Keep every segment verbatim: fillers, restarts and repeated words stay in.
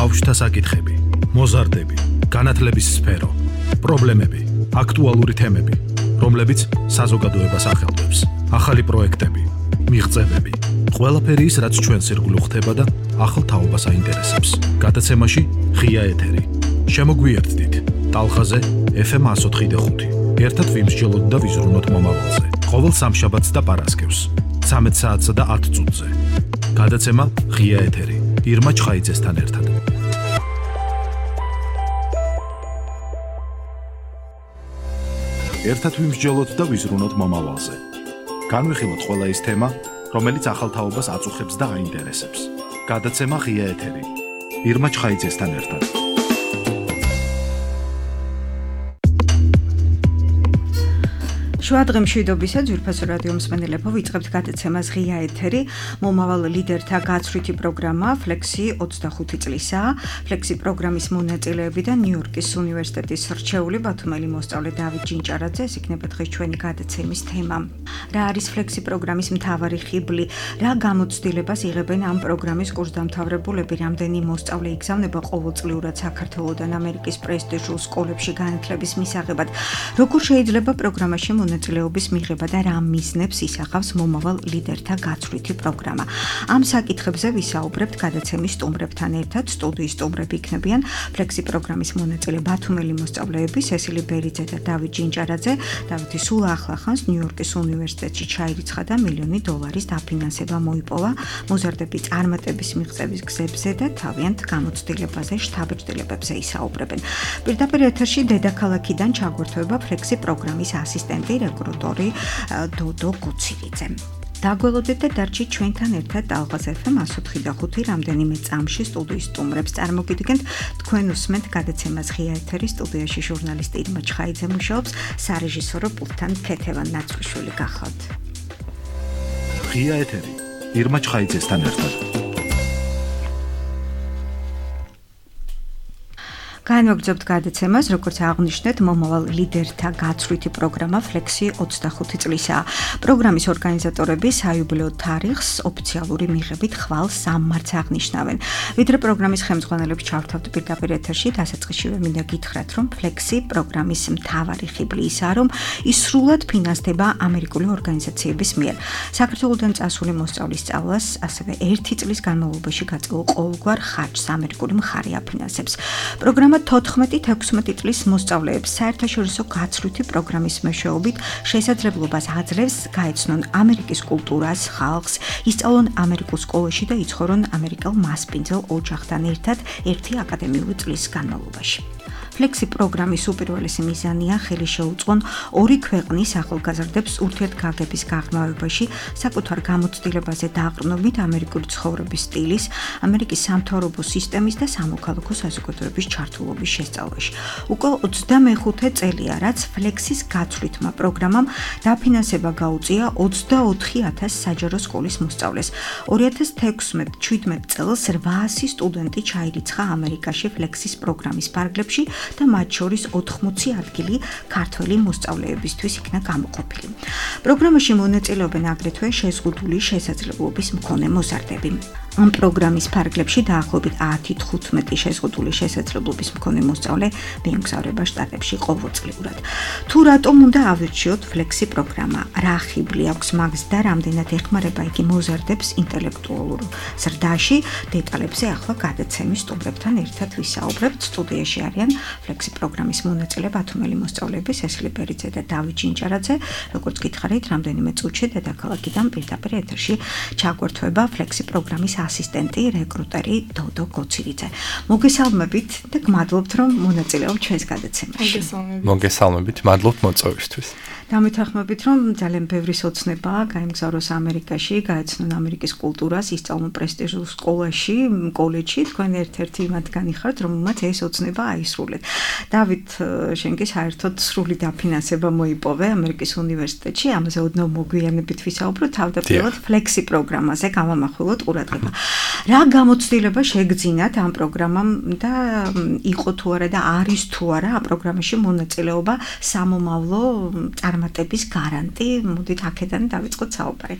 ბავშვთა საკითხები, მოზარდები, განათლების სფერო, პრობლემები, აქტუალური თემები, რომლებიც საზოგადოებას ახელვებს, ახალი პროექტები, მიღწევები, ყველაფერი ის, რაც ჩვენს ირგვლივ ხდება და ახალ თაობას აინტერესებს. გადაცემაში ღია ეთერი. შემოგვიერთდით ტალღაზე ეფ ემ εκατო ოთხი და ხუთი. ერთად ვიმსჯელოთ და ვიზრუნოთ მომავალზე. ყოველ სამშაბათს და პარასკევს, ცამეტ საათსა და ათ წუთზე. გადაცემა ღია ეთერი. ირმა ჩხაიძესთან ერთად. ერთად ვიმსჯელოთ და ვიზრუნოთ მომავალზე. განვიხილოთ ყველა ის თემა, რომელიც ახალ თაობას აწუხებს და აინტერესებს. გადაცემა ღია ეთერი. ირმა ჩხაიძესთან ერთად. შუადღე მშვიდობისა ძვირფასო რადიო მსმენელებო, ვიწყებთ გადაცემას ღია ეთერი. მომავალ ლიდერთა გაცვლითი პროგრამა ფლექსი ოცდახუთი წლისაა. ფლექსი პროგრამის მონაწილეები და ნიუ-იორკის უნივერსიტეტის რჩეული ბათუმელი მოსწავლე დავით ჯინჭარაძე, ეს იქნება დღეს ჩვენი გადაცემის თემა. რა არის ფლექსი პროგრამის მთავარი ხიბლი? რა გამოცდილებას იღებენ ამ პროგრამის კურსდამთავრებულები? რამდენი მოსწავლე იგზავნება ყოველწლიურად საქართველოდან ამერიკის პრესტიჟულ სკოლებში განათლების მისაღებად? როგორ შეიძლება პროგრამაში მონაწილეობის მიღება და რა მიზნებს ისახავს მომავალ ლიდერთა გაცვლითი პროგრამა? ამ საკითხებზე ვისაუბრებთ გადაცემის სტუმრებთან ერთად. სტუდიის სტუმრები იქნებიან ფლექსი პროგრამის მონაწილე ბათუმელი მოსწავლეები სესილი ბერიძე და დავით ჯინჭარაძე. დავითი სულ ახლახანს ნიუ-იორკის უნივერსიტეტში ჩაირიცხა და მილიონი დოლარის დაფინანსება მოიპოვა მოზარდები წარმატების მიღწევის გზებზე და თავიანთ გამოცდილებაზე, შთაბეჭდილებებზე ისაუბრებენ. პირდაპირ ეთერში დედაქალაქიდან ჩაგვერთვება ფლექსი პროგრამის ასისტენტი რეკრუტორი დოდო გუცილიძე. დაგველოდეთ და დარჩით ჩვენთან ერთად ტალღაზე ეფ ემ εκατო ოთხი და ხუთი. რამდენიმე წამში სტუდიის სტუმრებს წარმოგიდგენთ. თქვენ უსმენთ გადაცემას ღია ეთერი. სტუდიაში ჟურნალისტი ირმა ჩხაიძე მუშაობს, სარეჟისორო პულტთან ქეთევან ნაცვლიშვილი გახავთ. ღია ეთერი. ირმა ჩხაიძესთან ერთად. განვაგრძობთ გადაცემას, როგორც აღნიშნეთ, მომავალ ლიდერთა გაცვლითი პროგრამა ფლექსი ოცდახუთი წლისაა. პროგრამის ორგანიზატორები საიუბილეო თარიღს ოფიციალური მიღებით ხვალ სამ მარტს აღნიშნავენ. ვიდრე პროგრამის ხელმძღვანელებს ჩავრთავთ პირდაპირ ეთერში, დასაწყისშივე მინდა გითხრათ, რომ ფლექსი პროგრამის მთავარი ხიბლი ისაა, რომ ის სრულად ფინანსდება ამერიკული ორგანიზაციების მიერ. საქართველოდან წასული მოსწავლის სწავლას ასევე ერთი წლის განმავლობაში გაწყობილ ყოველგვარ ხარჯს ამერიკული მხარე აფინანსებს. პროგრამა თოთხმეტი ექვსმეტი წლის მოსწავლეებს საერთაშორისო გაცვლითი პროგრამის მეშვეობით შესაძლებლობას აძლევს გაეცნონ ამერიკის კულტურას, ხალხს, ისწავლონ ამერიკულ სკოლაში და იცხოვრონ ამერიკელ მასპინძელ ოჯახთან ერთად ერთი აკადემიური წლის განმავლობაში. ფლექსი პროგრამის უპირველესი მიზანია ხელი შეუწყონ ორი ქვეყნის ახალგაზრდებს ურთიერთგაგების გაღრმავებაში, საკუთარ გამოცდილებაზე დაყრდნობით ამერიკული ცხოვრების სტილის, ამერიკის სამთავრობო სისტემის და სამოქალაქო საზოგადოების ჩართულობის შესწავლაში. უკვე ოცდამეხუთე წელია, რაც ფლექსის გაცვლითმა პროგრამამ დაფინანსება გაუწია ოცდაოთხი ათასი საჯარო სკოლის მოსწავლეს. ორი ათას თექვსმეტ შვიდმეტ წელს რვაასი სტუდენტი ჩაირიცხა ამერიკაში ფლექსის პროგრამის ფარგლებში და მათ შორის ოთხმოცი ადგილი ქართველი მოსწავლეებისთვის იქნა გამოყოფილი. პროგრამაში მონაწილეობენ აგრეთვე შეზღუდული შესაძლებლობის მქონე მოზარდები. ამ პროგრამის ფარგლებში დაახლოებით ათი თხუთმეტი შეზღუდული შესაძლებლობის მქონე მოსწავლე მიემგზავრება შტატებში ყოველწლიურად. თუ რატომ უნდა ავირჩიოთ ფლექსი პროგრამა? რა ხიბლი აქვს მაგს და რამდენად ეხმარება იგი მოზარდებს ინტელექტუალურ ზრდაში? დეტალებზე ახლა გადაცემის სტუმრებთან ერთად ვისაუბრებთ. სტუდიაში არიან ფლექსი პროგრამის მონაწილე ბათუმელი მოსწავლეები სესილი ბერიძე და დავით ჯინჭარაძე. როგორც გითხარით, რამდენიმე წუთში დედაქალაქიდან პირდაპირ ეთერში ჩაგვერთვება ფლექსი პროგრამის ასისტენტი რეკრუტერი დოდო გუცილიძე. მოგესალმებით და გმადლობთ, რომ მონაწილეობთ ჩვენს გადაცემაში. მოგესალმებით, მადლობთ მოწვევისთვის. დამეთანხმებით, რომ ძალიან ბევრი სოცნებაა გაემგზავროს ამერიკაში, გაეცნონ ამერიკის კულტურას, ისწავლონ პრესტიჟულ სკოლაში, კოლეჯში. თქვენ ერთ-ერთი მათგანი ხართ, რომელმაც ეს ოცნება აისრულეთ. დავით, შენ კი საერთოდ სრული დაფინანსება მოიპოვე ამერიკის უნივერსიტეტში, ამაზე ოდნავ მოგვიანებით ვისაუბროთ. თავდაპირველად ფლექსი პროგრამაზე გამამახვილოთ ყურადღება. რა გამოცდილება შეგძინათ ამ პროგრამამ და იყო თუ არა და არის თუ არა ამ პროგრამაში მონაწილეობა სამომავლო წარმატების გარანტი? მოდით აქედან დავიწყოთ საუბარი.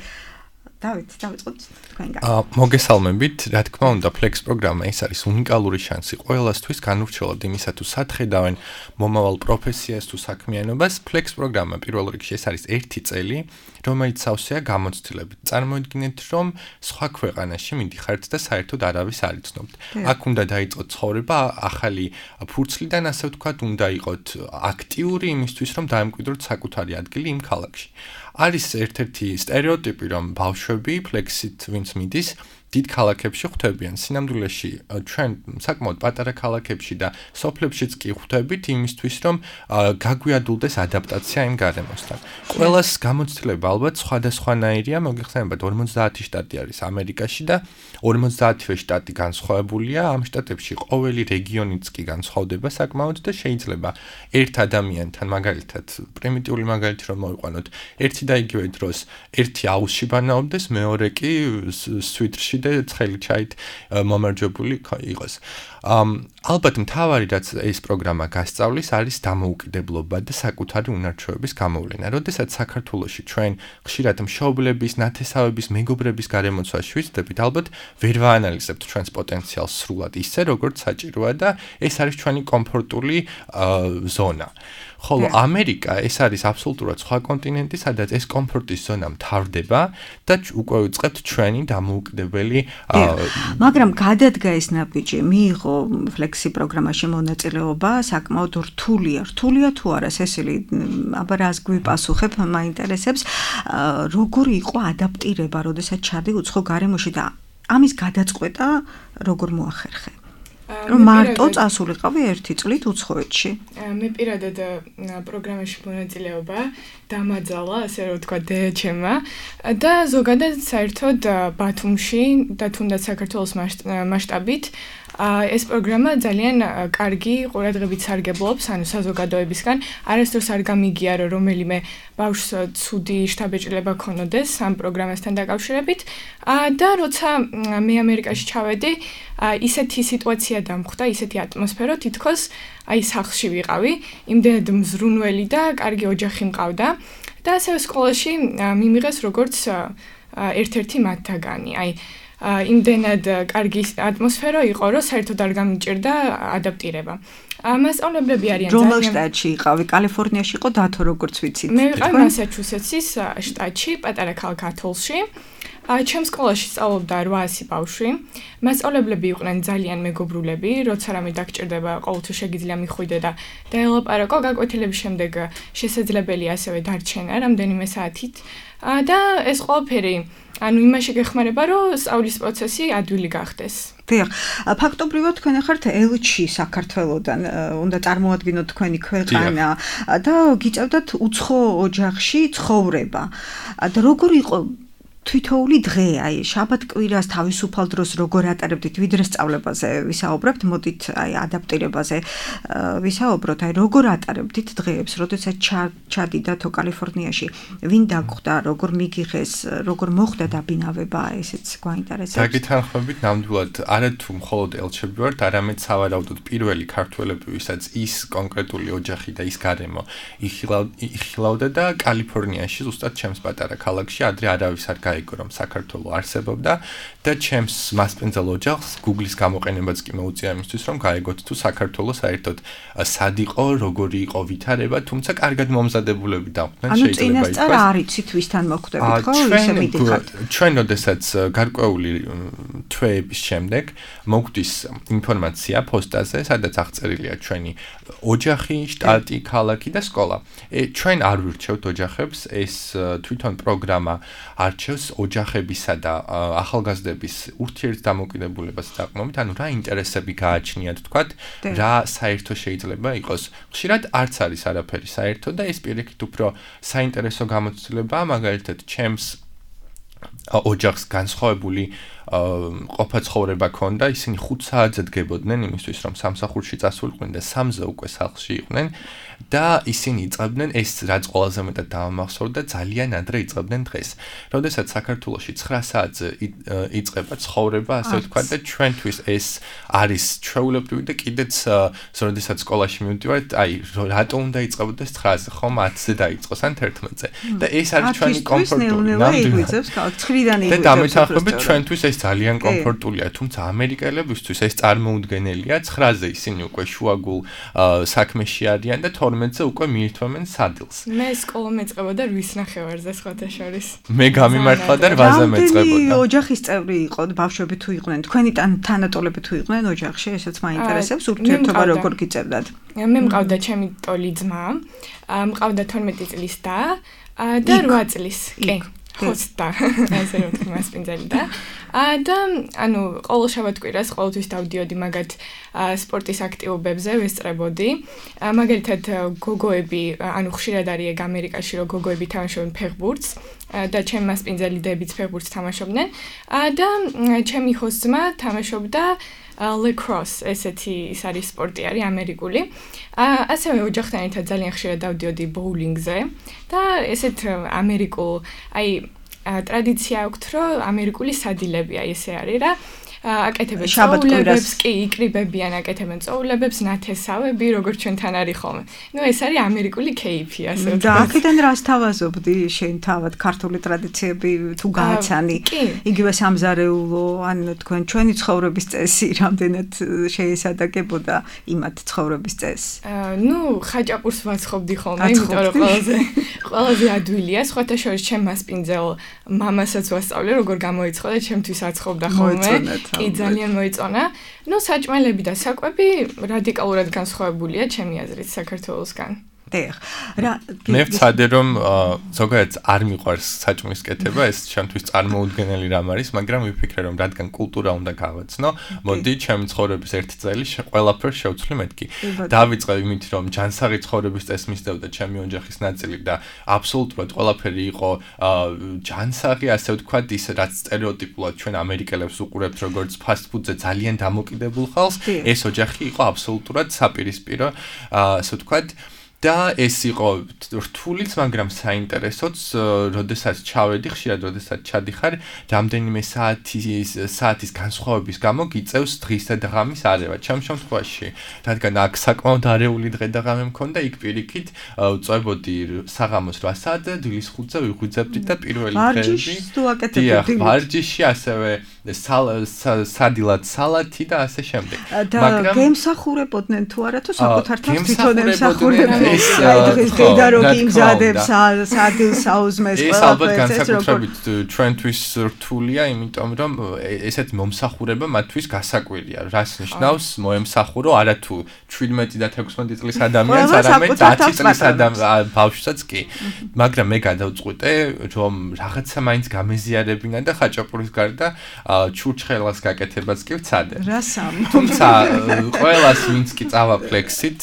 დავით, დავიწყოთ თქვენგან. აა მოგესალმებით, რა თქმა უნდა, Flex პროგრამა ეს არის უნიკალური შანსი ყველასთვის განურჩევლად იმისა თუ სათხედავენ მომავალ პროფესიას თუ საქმიანობას. Flex პროგრამა პირველ რიგში ეს არის ერთი წელი, რომელიც სავსეა გამოცდილებით. წარმოიდგინეთ, რომ სხვა ქვეყანაში მიდიხართ და საერთოდ არავის არ იცნობთ. აქ უნდა დაიწყოთ ცხოვრება ახალი ფურცლიდან, ასე ვთქვათ, უნდა იყოთ აქტიური იმისთვის, რომ დაემკვიდროთ საკუთარი ადგილი იმ ქალაქში. არის ერთ-ერთი სტერეოტიპი, რომ ბავშვები Flex-ით ვინც მიდის, დიდ ქალაქებში ხვდებიან. სინამდვილეში ჩვენ საკმაოდ პატარა ქალაქებში და სოფლებშიც კი ხვდებით იმისთვის, რომ გაგვიადულდეს ადაპტაცია იმ გარემოსთან. ყველას გამოცდილება ალბათ სხვადასხვანაირია, მოგეხსენებათ ორმოცდაათი შტატი არის ამერიკაში და ორმოცდაათივე შტატი განსხვავებულია. ამ შტატებში ყოველი რეგიონიც კი განსხვავდება საკმაოდ და შეიძლება ერთ ადამიანთან, მაგალითად, პრიმიტიული მაგალითი რომ მოვიყვანოთ, ერთი და იგივე დროს ერთი აუზში ბანაობდეს, მეორე კი სვიტრში და ცხელი ჩაით მომარჯვებული იყოს. ალბათ მთავარი რაც ეს პროგრამა გასწავლის არის დამოუკიდებლობა და საკუთარი უნარჩვევების გამოვლენა. როდესაც საქართველოში ჩვენ ხშირად მშობლების, ნათესავების, მეგობრების გარემოცვაში ვიზრდებით, ალბათ ვერ ვაანალიზებთ ჩვენს პოტენციალს სრულად ისე, როგორც საჭიროა და ეს არის ჩვენი კომფორტული ზონა. ხოლო ამერიკა ეს არის აბსოლუტურად სხვა კონტინენტი, სადაც ეს კომფორტის ზონა მთავრდება და უკვე ვიწყებთ ჩვენი დამოუკიდებელი მაგრამ გადადგა ეს ნაბიჯი, მიიღო Flex-ი პროგრამაში მონაწილეობა, საკმაოდ რთულია, რთულია თუ არა, სესილი, აბა რას გვიპასუხებ, მაინტერესებს, როგორი იყო ადაპტირება, როდესაც ჩადი უცხო გარემოში და ამის გადაწყვეტა როგორ მოახერხე? რომ მარტო წასულიყავი ერთი წლით უცხოეთში. მე პირადად პროგრამაში მონაწილეობა დამაძალა, ასე რომ ვთქვა, დეეჩემა და ზოგადად საერთოდ ბათუმში და თუნდაც საქართველოს მასშტაბით ეს პროგრამა ძალიან კარგი ყურადღებით სარგებლობს, ანუ საზოგადოებისგან. არასდროს არ გამიგია, რომ რომელიმე ბავშვს ცუდი შთაბეჭდილება ქონოდეს ამ პროგრამასთან დაკავშირებით. და როცა მე ამერიკაში ჩავედი, ისეთი სიტუაცია დამხვდა, ისეთი ატმოსფერო, თითქოს აი სახლში ვიყავი, იმდენად მზრუნველი და კარგი ოჯახი მყავდა და ასევე სკოლაში მიმიღეს როგორც ერთ-ერთი მათთაგანი. აი იმდენად კარგი ატმოსფერო იყო, რომ საერთოდ არ გამიჭირდა ადაპტირება. მასწავლებლები არიან ძალიან. რომელ შტატში იყავი? კალიფორნიაში იყო დათო, როგორც ვიცით? მე ვიყავი მასაჩუსეტსის შტატში, პატარა ქალაქ ათოლში. ჩემს სკოლაში სწავლობდა რვაასი ბავშვი. მასწავლებლები იყვნენ ძალიან მეგობრულები, როცა რამე დაგჭირდება, ყოველთვის შეგიძლია მიხვიდე და დაელაპარაკო, გაკვეთილების შემდეგ შესაძლებელია ასევე დარჩენა რამდენიმე საათით. და ეს ყველაფერი ანუ იმაში გეხმარება, რომ სწავლის პროცესი ადვილი გახდეს. დიახ, ფაქტობრივად თქვენ ხართ ელჩი საქართველოდან, უნდა წარმოადგინოთ თქვენი ქვეყანა და გიწევდათ უცხო ოჯახში ცხოვრება. და როგორ იყო თვითოული დღე, აი შაბათ-კვირას თავისუფალ დროს როგორ ატარებდით, ვიდრე სწავლებაზე ვისაუბრებთ, მოდით აი ადაპტირებაზე ვისაუბროთ, აი როგორ ატარებდით დღეებს, როდესაც ჩადიდათო კალიფორნიაში, ვინ დაგხვდა, როგორ მიგიღეს, როგორ მოხდა დაბინავება, ესეც გვაინტერესებს. დაგითანხმებით, ნამდვილად არათუ მხოლოდ ელჩები ვართ, არამედ სავარაუდოდ პირველი ქართველები, ვისაც ის კონკრეტული ოჯახი და ის გარემო იხილავდა და კალიფორნიაში, ზუსტად ჩემს პატარა ქალაქში, ადრე არავის არ გაიგო, რომ საქართველო არსებობდა და ჩემს მასპინძელ ოჯახს Google-ის გამოყენებაც კი მოუწია იმისთვის, რომ გაიგოთ თუ საქართველო საერთოდ სად იყო, როგორი იყო ვითარება, თუმცა კარგად მომზადებულები დავხდნენ, შეიძლება ითქვას. ანუ წინასწარ არ იცით ვისთან მოხვდებით, ხო? ისე მიდიხართ. ჩვენ როდესაც გარკვეული თვეების შემდეგ მოგვდის ინფორმაცია პოსტაზე, სადაც აღწერილია ჩვენი ოჯახი, შტატი, ქალაქი და სკოლა. ჩვენ არ ვირჩევთ ოჯახებს, ეს თვითონ პროგრამა არჩევს ოჯახებისა და ახალგაზრდების ურთიერთდამოკიდებულებას დაყრდნობით, ანუ რა ინტერესები გააჩნიათ, თქვათ, რა საერთო შეიძლება იყოს. ხშირად არც არის არაფერი საერთო და ეს პირიქით უფრო საინტერესო გამოცდილებაა, მაგალითად, ჩემს ოჯახს განსხვავებული ყოფა ცხოვრება ქონდა, ისინი ხუთ საათზე დგებოდნენ იმისთვის, რომ სამსახურში წასულიყვნენ და სამზე უკვე სახლში იყვნენ და ისინი იწყებდნენ ეს რაც ყველაზე მეტად დავამახსოვრდა ძალიან ადრე იწყებდნენ დღეს. როდესაც საქართველოში ცხრა საათზე იწყება ცხოვრება, ასე ვთქვათ და ჩვენთვის ეს არის ჩვეულებრივი და კიდეც როდესაც სკოლაში მივდივართ, აი რატო უნდა იწყებოდეს ცხრაზე, ხომ ათზე დაიწყოს ან თერთმეტზე. და ეს არის ჩვენი კომფორტული. ნამდვილად ცხრიდან იღვიძებს. და დამეთანხმებით ჩვენთვის ეს ძალიან კომფორტულია, თუმცა ამერიკელებისთვის ეს წარმოუდგენელია. ცხრაზე ისინი უკვე შუაგულ საქმეში არიან და თორმეტზე უკვე მიირთმევენ სადილს. მე სკოლა მეწყებოდა რვის ნახევარზე სხვათა შორის. მე გამიმართლა და რვაზე მეწყებოდა. რამდენი ოჯახის წევრი იყო, ბავშვები თუ იყვნენ, თქვენი თანატოლები თუ იყვნენ ოჯახში, ესეც მაინტერესებს, ურთიერთობა როგორ გიწევდათ? მე მყავდა ჩემი ტოლი ძმა, მყავდა თორმეტი წლის და და რვა წლის. კი. ხოცდა ასე რომ თქვი მასპინძელი და და ანუ ყოველ შაბათ-კვირას ყოველთვის დავდიოდი მაგათ სპორტის აქტივობებზე ვესწრებოდი მაგალითად გოგოები ანუ ხშირად არის ამერიკაში რომ გოგოები თამაშობენ ფეხბურთს და ჩემი მასპინძელი დებიც ფეხბურთს თამაშობდნენ და ჩემი ხოცმა თამაშობდა lacrosse ესეთი ის არის სპორტი არის ამერიკული. ასევე ოჯახთან ერთად ძალიან ხშირად დავდიოდი ბოულინგზე და ესეთ ამერიკულ აი ტრადიცია აქვს რომ ამერიკული სადილებია ესე არის რა აკეთებენ წოულებებს კი იკრიბებიან აკეთებენ წოულებებს ნათესავები როგორც ჩვენთან არის ხოლმე. ნუ ეს არის ამერიკული кейფი ასე ვთქვათ. და აქედან რას თავაზობდი შენ თავად ქართული ტრადიციები თუ გააცანი იგივე სამზარეულო ან თქვენ ჩვენი ცხოვრების წესი რამდენად შეესადაგებოდა იმათ ცხოვრების წესს? ნუ ხაჭაპურს ვაცხობდი ხოლმე იმიტომ რომ ყველაზე ყველაზე ადვილია სხვათა შორის ჩემ მასპინძელ მამასაც ვასწავლე როგორ გამოიცხადა ჩემთვის აცხობდა ხოლმე. კი ძალიან მოიწონა. ნუ საჭმელები და საკვები რადიკალურად განსხვავებულია ჩემი აზრით საქართველოსგან. დიახ. რა მე ვცადე რომ ზოგადად არ მიყვარს საჭმლის კეთება, ეს ჩემთვის წარმოუდგენელი რამ არის, მაგრამ ვიფიქრე რომ რადგან კულტურა უნდა გავაცნო, მოდი ჩემი ცხოვრების ერთი წელი ყველაფერს შევცვლი მეთქი. დავიწყე იმით რომ ჯანსაღი ცხოვრების წესს მისდევდა ჩემი ოჯახის ნაწილი და აბსოლუტურად ყველაფერი იყო ჯანსაღი, ასე ვთქვათ, ის რაც სტერეოტიპულად ჩვენ ამერიკელებს უყურებთ როგორც ფასტ ფუდზე ძალიან დამოკიდებულ ხალხს, ეს ოჯახი იყო აბსოლუტურად საპირისპირო, ასე ვთქვათ და ეს იყო რთულიც, მაგრამ საინტერესოც, როდესაც ჩავედი, ხშირად როდესაც ჩადიხარ, რამდენიმე საათის საათის განსხვავების გამო გიწევს დღის და ღამის არევა. ჩემ შემთხვევაში, რადგან აქ საკმაოდ არეული დღე და ღამე მქონდა, იქ პირიქით წვებოდი საღამოს რვა საათზე, დილის ხუთზე ვიღვიძებდი და პირველი დღეები. ვარჯიშს თუ აკეთებდი? ვარჯიში, ასევე სადილად სალათი და ასე შემდეგ. და გემსახურებოდნენ თუ არა თუ საკუთარ თავს თვითონ ემსახურებდნენ? ეს დღეს დედა რო გიმზადებს სადილს საუზმეს ყველაფერს ეს ალბათ განსაკუთრებით ჩვენთვის რთულია, იმიტომ რომ ესეთ მომსახურება მათთვის გასაკვირია. რას ნიშნავს მოემსახურო არა თუ შვიდმეტი და თექვსმეტი წლის ადამიანს, არამედ ათი წლის ადამიანს ბავშვსაც კი. მაგრამ მე გადავწყვიტე, რომ რაღაცა მაინც გამეზიარებინა და ხაჭაპურის გარდა ჩურჩხელას გაკეთებას კი ვცადე. რასამ? თუმცა ყველას ვინც კი წავა ფლექსით,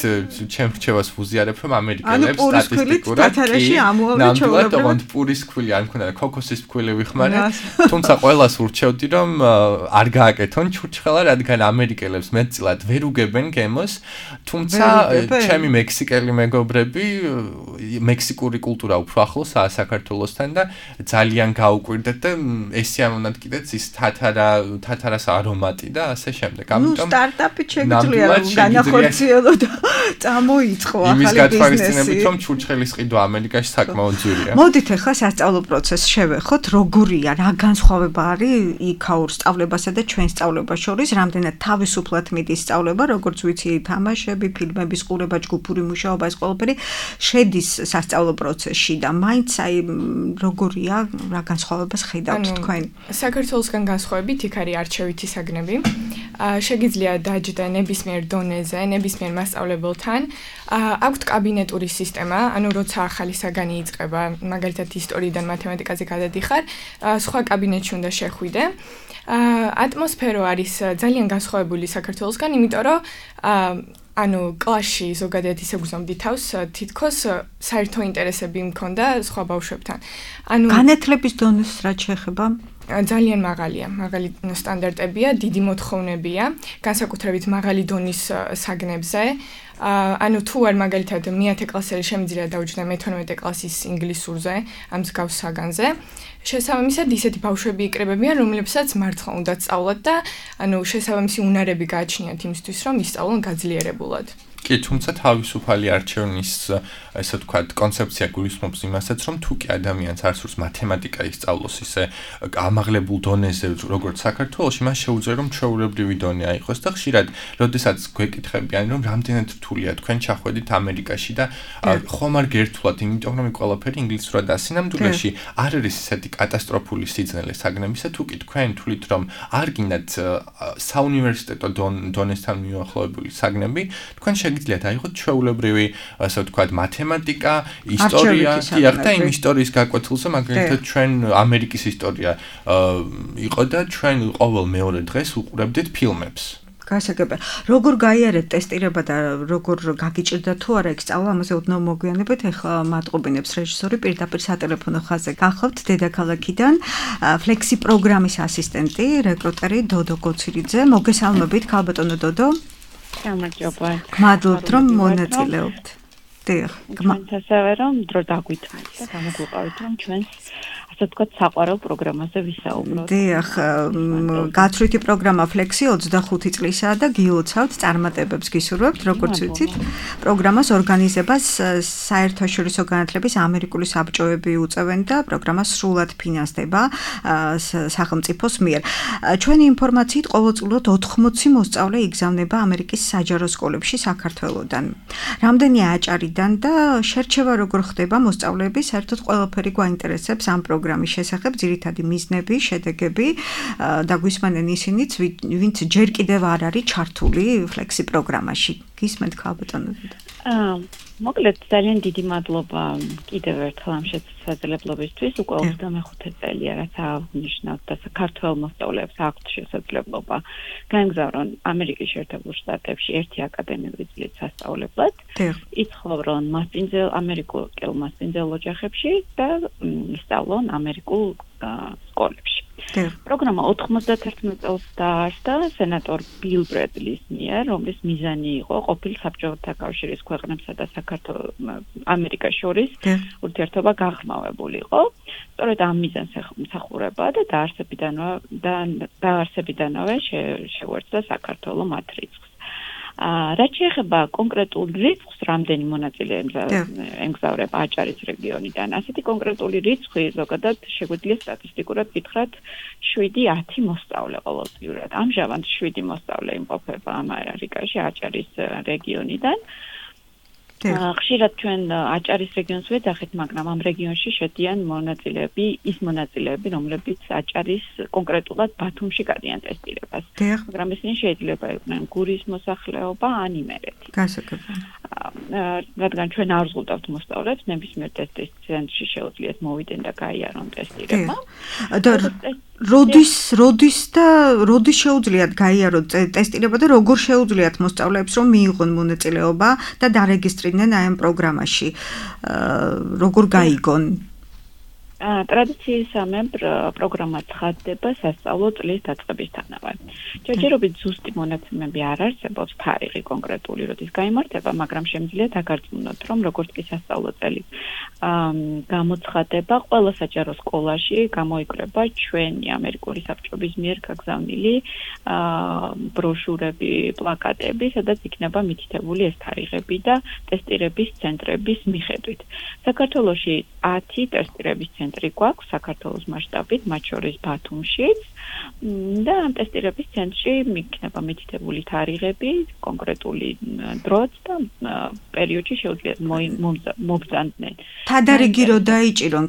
ჩემ რჩევას ვუზიარებ რომ ამერიკელებს სტატისტიკურად კი ნამდვილად ოღონდ პურის ფქვილი არ მქონდა და ქოქოსის ფქვილი ვიხმარე, თუმცა ყველას ურჩევდი რომ არ გააკეთონ ჩურჩხელა, რადგან ამერიკელებს მეტწილად ვერ უგებენ გემოს, თუმცა ჩემი მექსიკელი მეგობრები მექსიკური კულტურა უფრო ახლოსაა საქართველოსთან და ძალიან გაუკვირდეთ და ესე ამონად კიდეც ის თათარა თათარას არომატი და ასე შემდეგ. ამიტომ ნუ სტარტაპი შეგვიძლია განახორციელო და წამოიწყო ახალი გათვალისწინებით რომ ჩურჩხელის ყიდვა ამერიკაში საკმაოდ ძვირია. მოდით ახლა სასწავლო პროცესს შევეხოთ, როგორია, რა განსხვავება არის იქაურ სწავლებასა და ჩვენ სწავლებას შორის, რამდენად თავისუფლად მიდის სწავლება, როგორც ვიცი, თამაშები, ფილმების ყურება, ჯგუფური მუშაობა, ეს ყველაფერი შედის სასწავლო პროცესში და მაინც აი როგორია, რა განსხვავებას ხედავთ თქვენ? საქართველოსგან განსხვავებით იქ არის არჩევითი საგნები. შეგიძლია დაჯდა ნებისმიერ დონეზე, ნებისმიერ მასწავლებელთან. აქვთ კაბინეტური სისტემა, ანუ როცა ახალი საგანი იწყება, მაგალითად ისტორიიდან მათემატიკაზე გადადიხარ, სხვა კაბინეტში უნდა შეხვიდე. ატმოსფერო არის ძალიან განსხვავებული საქართველოსგან, იმიტომ რომ ანუ კლასში ზოგადად ისე გუზომდი თავს, თითქოს საერთო ინტერესები მქონდა სხვა ბავშვებთან. ანუ განათლების დონეს რაც შეეხება ძალიან მაღალია, მაღალი სტანდარტებია, დიდი მოთხოვნებია, განსაკუთრებით მაღალი დონის საგნებზე. ანუ თუ არ მაგალითად მეათე კლასელი შემიძლია დაუჯდა მეთორმეტე კლასის ინგლისურზე, ამ მსგავს საგანზე. შესაბამისად, ისეთი ბავშვები იკრებებიან, რომლებსაც მართლა უნდა სწავლათ და ანუ შესაბამისი უნარები გააჩნიათ იმისთვის, რომ ისწავლონ გაძლიერებულად. კი, თუმცა თავისუფალი არჩევნის, ესე ვთქვათ, კონცეფცია გულისხმობს იმასაც, რომ თუ კი ადამიანს არ სურს მათემატიკა ისწავლოს ისე ამაღლებულ დონეზე, როგორც საქართველოში, მას შეუძლია რომ ჩვეულებრივი დონე აიღოს და ხშირად, როდესაც გვეკითხებიან, რომ რამდენად რთულია თქვენ ჩახვედით ამერიკაში და ხომ არ გერთულად, იმიტომ რომ ყველაფერი ინგლისურად ასინამდვილეში არ არის ისეთი კატასტროფული სიძნელე საგნებისა, თუ კი თქვენ თვლით, რომ არ გინდათ საუნივერსიტეტო დონესთან მიუახლოვებული საგნები, თქვენ შეგიძლიათ აიღოთ ჩვეულებრივი, ასე ვთქვათ, მათემატიკა, ისტორია, დიახ და იმ ისტორიის გაკვეთილზე, მაგალითად ჩვენ ამერიკის ისტორია იყო და ჩვენ ყოველ მეორე დღეს უყურებდით ფილმებს. გასაგებია. როგორ გაიარეთ ტესტირება და როგორ გაგიჭირდა თუ არა ეგ სწავლა, ამაზე ოდნავ მოგვიანებით. ეხლა მატყობინებს რეჟისორი პირდაპირ სატელეფონო ხაზზე გახლავთ დედაქალაქიდან ფლექსი პროგრამის ასისტენტი, რეკრუტერი დოდო გოცირიძე. მოგესალმებით, ქალბატონო დოდო. გამარჯობა. მადლობთ რომ მონაწილეობთ. დიახ. გმანთ ასევე რომ დრო დაგვითმართ და გამოგვიყავით რომ ჩვენს ასე ვთქვათ საყვარელ პროგრამაზე ვისაუბროთ. დიახ, გაცვლითი პროგრამა ფლექსი ოცდახუთი წლისაა და გილოცავთ წარმატებებს გისურვებთ, როგორც ვიცით. პროგრამას ორგანიზებას საერთაშორისო განათლების ამერიკული საბჭოები უწევენ და პროგრამა სრულად ფინანსდება სახელმწიფოს მიერ. ჩვენი ინფორმაციით ყოველწლიურად ოთხმოცი მოსწავლე იგზავნება ამერიკის საჯარო სკოლებში საქართველოდან. რამდენი აჭარიდან და შერჩევა როგორ ხდება მოსწავლეების, საერთოდ ყველაფერი გვაინტერესებს ამ პროგრამის შესახებ, ძირითადი მიზნები, შედეგები და გვისმენენ ისინიც, ვინც ჯერ კიდევ არ არის ჩართული ფლექსი პროგრამაში. გისმენთ ქალბატონო დოდო. აა მოკლედ ძალიან დიდი მადლობა კიდევ ერთხელ ამ შესაძლებლობისთვის. უკვე ოცდამეხუთე წელია რაც აღნიშნავთ და საქართველოს მოსწავლეებს აქვთ შესაძლებლობა გაემგზავრონ ამერიკის შეერთებულ შტატებში ერთი აკადემიური წლით სასწავლებლად. იცხოვრონ მასპინძელ ამერიკულ მასპინძელ ოჯახებში და ისწავლონ ამერიკულ სკოლებში. პროგრამა ოთხმოცდაათი წელს დაარსდა სენატორ ბილ ბრედლის მიერ, რომლის მიზანი იყო ყოფილ საბჭოთა კავშირის ქვეყნებსა და საქართველოს ამერიკას შორის ურთიერთობა გაღრმავებულიყო. სწორედ ამ მიზანს ემსახურება და დაარსებიდანვე და დაარსებიდანვე შეუერთდა საქართველოს მათ რიცხვს. რაც შეეხება კონკრეტულ რიცხვს, რამდენი მონაწილე ემგზავრება აჭარის რეგიონიდან, ასეთი კონკრეტული რიცხვი ზოგადად შეგვიძლია სტატისტიკურად გითხრათ შვიდი ათი მოსწავლე ყოველწლიურად. ამჟამად შვიდი მოსწავლე იმყოფება ამერიკაში აჭარის რეგიონიდან. ხშირად ჩვენ აჭარის რეგიონს ვეძახით, მაგრამ ამ რეგიონში შედიან მონაწილეები, ის მონაწილეები, რომლებიც აჭარის კონკრეტულად ბათუმში გადიან ტესტირებას. მაგრამ ისინი შეიძლება იყვნენ გურის მოსახლეობა ან იმერეთი. გასაგებია. რადგან ჩვენ არ ვზღუდავთ მოსწავლეებს, ნებისმიერ ტესტის ცენტრში შეუძლიათ მოვიდნენ და გაიარონ ტესტირება. და როდის როდის და როდის შეუძლიათ გაიარონ ტესტირება და როგორ შეუძლიათ მოსწავლეებს რომ მიიღონ მონაწილეობა და დარეგისტრირდნენ აი ამ პროგრამაში? როგორ გაიგონ? ტრადიციისამებრ პროგრამა ცხადდება სასწავლო წლის დაწყებისთანავე. ჯერჯერობით ზუსტი მონაცემები არ არსებობს, თარიღი კონკრეტული როდის გაიმართება, მაგრამ შემიძლია დაგარწმუნოთ, რომ როგორც კი სასწავლო წელი გამოცხადება, ყველა საჯარო სკოლაში გამოიკრება ჩვენი ამერიკული საბჭოების მიერ გაგზავნილი ბროშურები, პლაკატები, სადაც იქნება მითითებული ეს თარიღები და ტესტირების ცენტრების მიხედვით. საქართველოში ათი ტესტირების ცენტრი გვაქვს საქართველოს მასშტაბით, მათ შორის ბათუმშიც და ამ ტესტირების ცენტრში იქნება მითითებული თარიღები, კონკრეტული დროც და პერიოდში შეუძლიათ მობრძანდნენ. თადარიგი რო დაიჭირონ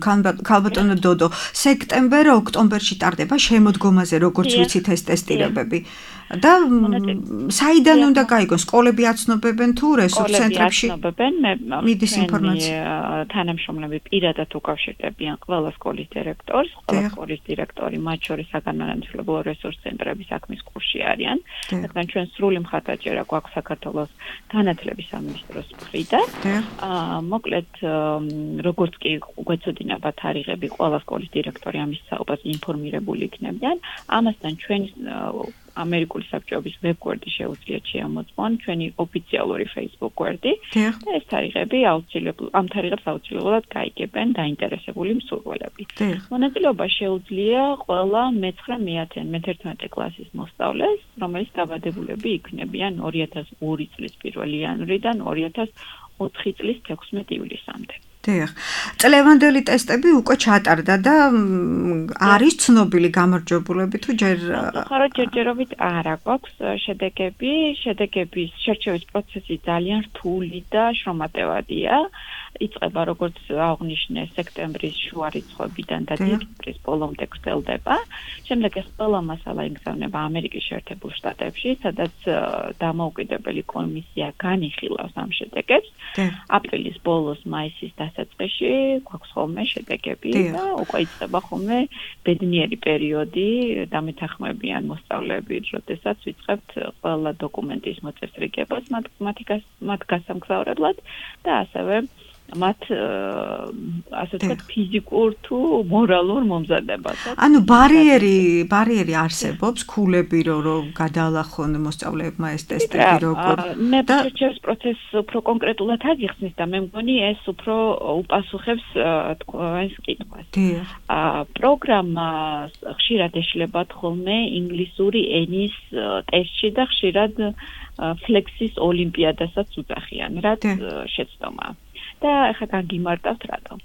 ქალბატონო დოდო, სექტემბერ, ოქტომბერში ტარდება შემოდგომაზე, როგორც ვიცით ეს ტესტირებები. და საიდან უნდა გაიგონ? სკოლები აცნობებენ თუ რესურს ცენტრებში? აცნობებენ, მე მიდის ინფორმაცია. თანამშრომლები პირადად უკავშირდებიან ყველა სკოლის დირექტორს, ყველა სკოლის დირექტორი, მათ შორის საგანმანათლებლო რესურს ცენტრების საქმის კურსში არიან. რადგან ჩვენ სრული მხარდაჭერა გვაქვს საქართველოს განათლების სამინისტროს მხრიდან. აა მოკლედ როგორც კი გვეცოდინება თარიღები, ყველა სკოლის დირექტორი ამის საუბარზე ინფორმირებული იქნებიან. ამასთან ჩვენ ამერიკული საბჭოების ვებგვერდი შეუძლიათ შეამოწმონ ჩვენი ოფიციალური Facebook გვერდი და ეს თარიღები აუცილებლად ამ თარიღებს აუცილებლად გაიგებენ დაინტერესებული მსურველები. მონაწილეობა შეუძლია ყველა მეცხრე, მეათე, მეთერთმეტე კლასის მოსწავლეს, რომელიც დაბადებულები იქნებიან ორი ათას ორი წლის პირველი იანვრიდან ორი ათას ოთხი წლის თექვსმეტი ივლისამდე. დიახ. წლევანდელი ტესტები უკვე ჩატარდა და არის ცნობილი გამარჯვებულები თუ ჯერ ხარო ჯერჯერობით არა გვაქვს შედეგები, შედეგების შერჩევის პროცესი ძალიან რთული და შრომატევადია. იწყება როგორც აღნიშნე სექტემბრის შუა რიცხვებიდან და დეკემბრის ბოლომდე გრძელდება. შემდეგ ეს ყველა მასალა იგზავნება ამერიკის შეერთებულ შტატებში, სადაც დამოუკიდებელი კომისია განიხილავს ამ შედეგებს. აპრილის ბოლოს, მაისის დასაწყისში გვაქვს ხოლმე შედეგები და უკვე იწყება ხოლმე ბედნიერი პერიოდი დამეთანხმებიან მოსწავლეები, როდესაც ვიწყებთ ყველა დოკუმენტის მოწესრიგებას მათ გასამგზავრებლად და ასევე მათ ასე ვთქვათ ფიზიკურ თუ მორალურ მომზადებასაც. ანუ ბარიერი, ბარიერი არსებობს, ქულები რომ გადაალახონ მოსწავლეებმა ეს ტესტები როგორ მე შეჩევს პროცესს უფრო კონკრეტულად აგიხსნის და მე მგონი ეს უფრო უპასუხებს თქვენს კითხვას. აა პროგრამა ხშირად ეშლებათ ხოლმე ინგლისური ენის ტესტში და ხშირად ფლექსის ოლიმპიადასაც უძახიან, რაც შეცდომა. და ახლა გაგიმარტავთ რატომ.